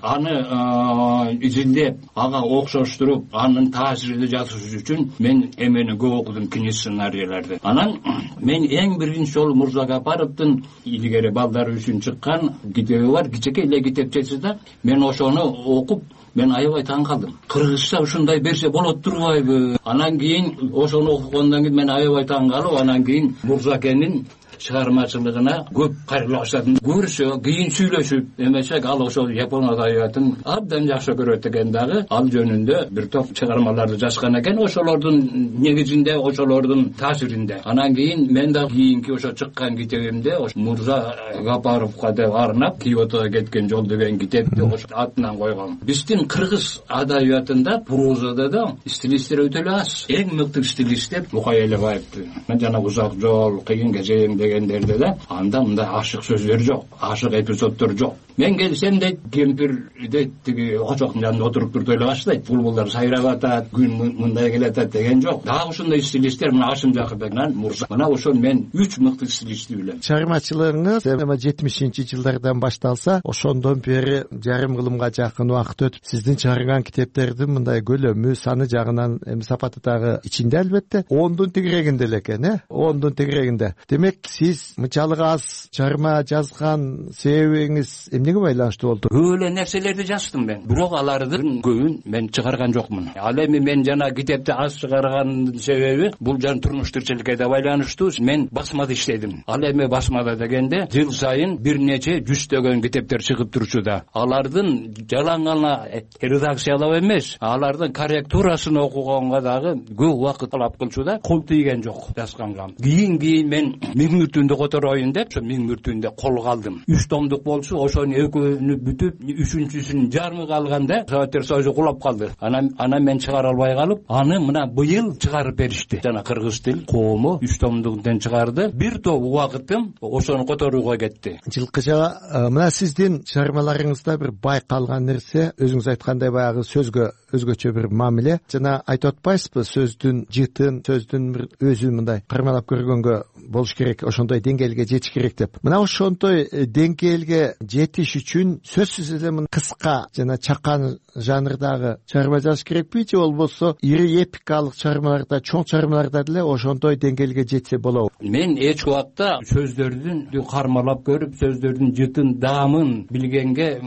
аны изилдеп, ага окшоштуруп, анын таасиринде жазыш үчүн мен эмени көп окудум, кино сценарийлерди. Анан мен эң биринчи жолу Мырза Гапаровдун илгери балдар үчүн чыккан китеби бар, кичинекей эле китепчеси да. Мен ошону окуп, мен аябай таң калдым. Кыргызча ушундай берсе болот турбайбы? Анан кийин ошону окугандан кийин мен аябай таң калып, анан кийин Мурзакенин чыгармачылыгына көп кайрыла баштадым. Көрсө, кийин сүйлөшүп эмесек, ал ошол жапон адабиятын абдан жакшы көрөт экен дагы. Ал жөнүндө бир топ чыгармаларды жазган экен, ошолордун негизинде, ошолордун таасиринде. Анан кийин мен да кийинки ошо чыккан китебимде Мырза Гапаровго деп арнап Киотого кеткен жол деген китепти ошо атынан койгом. Биздин кыргыз адабиятында, прозада да стилисттер өтө эле аз. Эң мыкты стилист деп Мукай Элебаевди. Мен жана Узак жол, Кыйын кезең дегендерде да анда мындай ашык сөздөр жок, ашык эпизоддор жок. Мен келсем дейт, кемпирде тиги очоктун жанында отуруп туруп эле баштайт. Булбулдар сайрап атат, күн мындай келатат деген жок. Дагы ушундай стилисттер мына Ашым Жакырбекнан Мурза. Мына ошол мен 3 мыкты стилистти билем. Чыгармачылыгыңыз 70-жылдардан башталса, ошондон бери жарым кылымга жакын убакыт өтүп, сиздин чыгарган китептердин мындай көлөмү, саны жагынан сапаты дагы ичинде албетте 10дун тегерегинде эле экен, 10дун тегерегинде. Демек, сиз мынчалык аз чыгарма жазган себебиңиз эмнеге байланыштуу болду? Көп эле нерселерди жаздым мен, бирок алардын көбүн мен чыгарган жокмун. Ал эми мен жана китепти аз чыгаргандын себеби бул жан турмуш тирчиликке да байланыштуу. Мен басмада иштедим. Ал эми басмада дегенде жыл сайын бир нече жүздөгөн китептер чыгып турчу да. Алардын жалаң гана редакциялап эмес, алардын корректурасын окуганга дагы көп убакыт талап кылчу да. Кол тийген жок жазганга. Кийин мен Миң мүртүндү котороюн деп, ошо Миң мүртүндө колго алдым. 3 томдук болчу, ошонун экөөнү бүтүп, үчүнчүсүн жарымы калганда Советтер Союзу кулап калды. Анан мен чыгара албай калып, аны мына быйыл чыгарып беришти. Жана кыргыз тил коому 3 томдуктан чыгарды. Бир топ убакытым ошону которууга кетти. Жылкыч ага, мына сиздин чыгармаларыңызда бир байкалган нерсе, өзүңүз айткандай баягы сөзгө өзгөчө бир мамиле. Жана айтып атпайсызбы, сөздүн жытын, сөздүн бир өзүн мындай кармалап көргөнгө болуш керек, ошондой деңгээлге жетиш керек деп. Мына ошондой деңгээлге жетиш үчүн сөзсүз эле мына кыска жана чакан жанрдагы чыгарма жазыш керекпи, же болбосо ири эпикалык чыгармаларда, чоң чыгармаларда деле ошондой деңгээлге жетсе болобу? Мен эч убакта сөздөрдүн кармалап көрүп, сөздөрдүн жытын, даамын билгенге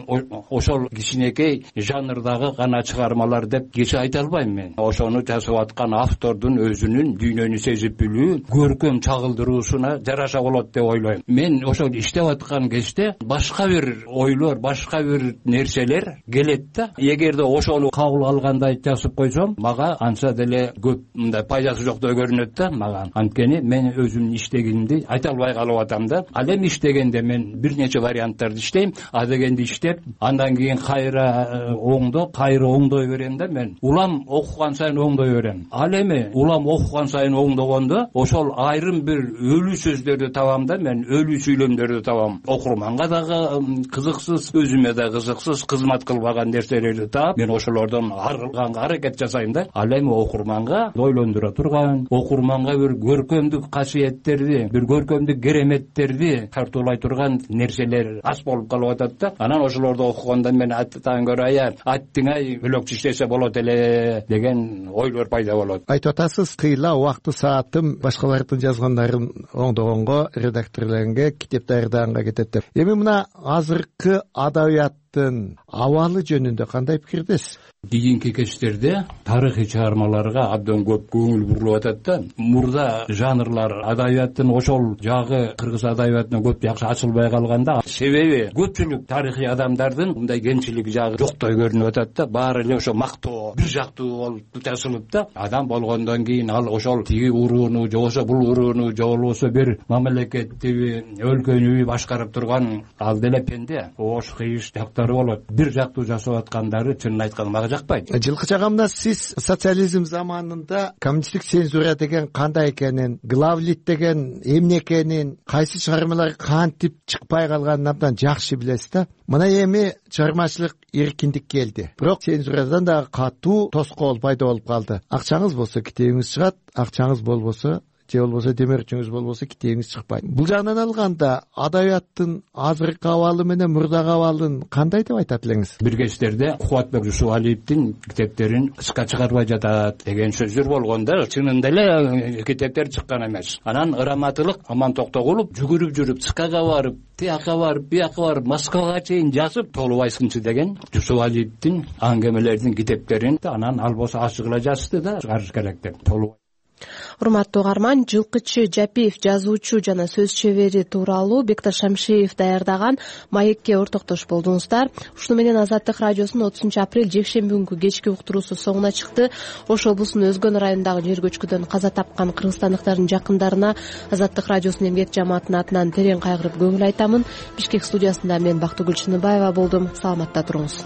ошол кичинекей жанрдагы гана чыгармалар деп кече айта албайм мен. Ошону жазып аткан автордун өзүнүн дүйнөнү сезип билүү, көркөм чагылдыруусуна жараша болот деп ойлойм. Мен ошол иштеп аткан кезде башка бир ойлор, башка бир нерселер келет да. Эгерде ошону кабыл алгандай жазып койсом, мага анча деле көп мындай пайдасы жоктой көрүнөт да мага. Анткени мен өзүмдүн иштегенимди айта албай калып атам да. Ал эми иштегенде мен бир нече варианттарды иштейм, а дегенди иштеп, андан кийин кайра оңдой берем да мен. Улам окуган сайын оңдой берем. Ал эми улам окуган сайын оңдогондо ошол айрым бир өлүү сөздөрдү табам да мен, өлүү сүйлөмдөрдү табам. Окурманга дагы кызыксыз, өзүмө да кызыксыз, кызмат кылбаган нерселерди таап, мен ошолордон арылганга аракет жасайм да. Ал эми окурманга ойлондура турган, окурманга бир көркөмдүк касиеттерди, бир көркөмдүк кереметтерди тартуулай турган нерселер аз болуп калып атат да. Анан ошолорду окуганда мен аттан көрө аттиңай бөлөкчө иштесе болот эле деген ойлор пайда болот. Айтып атасыз, кыйла убакты саатым башкалардын жазгандарын оңдогонго, редакторлорго, китеп даярдаганга кетет деп. Эми мына азыркы адабияттын абалы жөнүндө кандай пикирдесиз? Кийинки кечтерде тарыхый чыгармаларга абдан көп көңүл бурулуп атат да. Мурда жанрлар адабияттын ошол жагы кыргыз адабиятына көп жакшы ачылбай калганда, себеби көпчүлүк тарыхый адамдардын мындай кемчилик жагы жоктой көрүнүп атат да. Баары эле ошо мактоо, бир жактуу болуп жазылып да. Адам болгондон кийин ал ошол тиги урууну, же болбосо бул урууну, же болбосо бир мамлекетти, өлкөнү башкарып турган ал деле пенде. Ош кыйыш жактары болот. Бир жактуу жасап аткандары чынын айтканда жакпайт. Жылкыча камда сиз социализм заманында коммунисттик цензура деген кандай экенин, главлит деген эмне экенин, кайсы чыгармалар кантип чыкпай калганын абдан жакшы билесиз да. Мына эми чыгармачылык эркиндик келди. Бирок цензурадан дагы катуу тоскоол пайда болуп калды. Акчаңыз болсо китебиңиз чыгат, акчаңыз болбосо же болбосо демирчиңиз болбосо китебиңиз чыкпайт. Бул жагынан алганда адабияттын азыркы абалы менен мурдагы абалын кандай деп айтат элеңиз? Бир кечтерде Кубатбек Жусупалиевдин китептерин кышка чыгарбай жатат деген сөздөр болгон да. Чынында эле китептер чыккан эмес. Анан ыраматылык Аман Токтогулов жүгүрүп жүрүп ЦКга барып, тияка барып, бияка барып, Москвага чейин жазып, Толубай сынчы деген Жусупалиевдин аңгемелердин китептерин анан ал болсо ачык эле жазды да, чыгарыш керек деп. Урматтуу угарман, Жылкычы Жапиев жазуучу жана сөз чебери тууралуу Бекташ Шамшиев даярдаган маекке ортоктош болдуңуздар. Ушуну менен Азаттык радиосунун 30-апрель жекшемби күнкү кечки уктуруусу соңуна чыкты. Ош облусунун Өзгөн районундагы жер көчкүдөн каза тапкан кыргызстандыктардын жакындарына Азаттык радиосунун эмгек жамаатынын атынан терең кайгырып көңүл айтамын. Бишкек студиясында мен Бактыгүл Чыныбаева болдум. Саламатта туруңуз.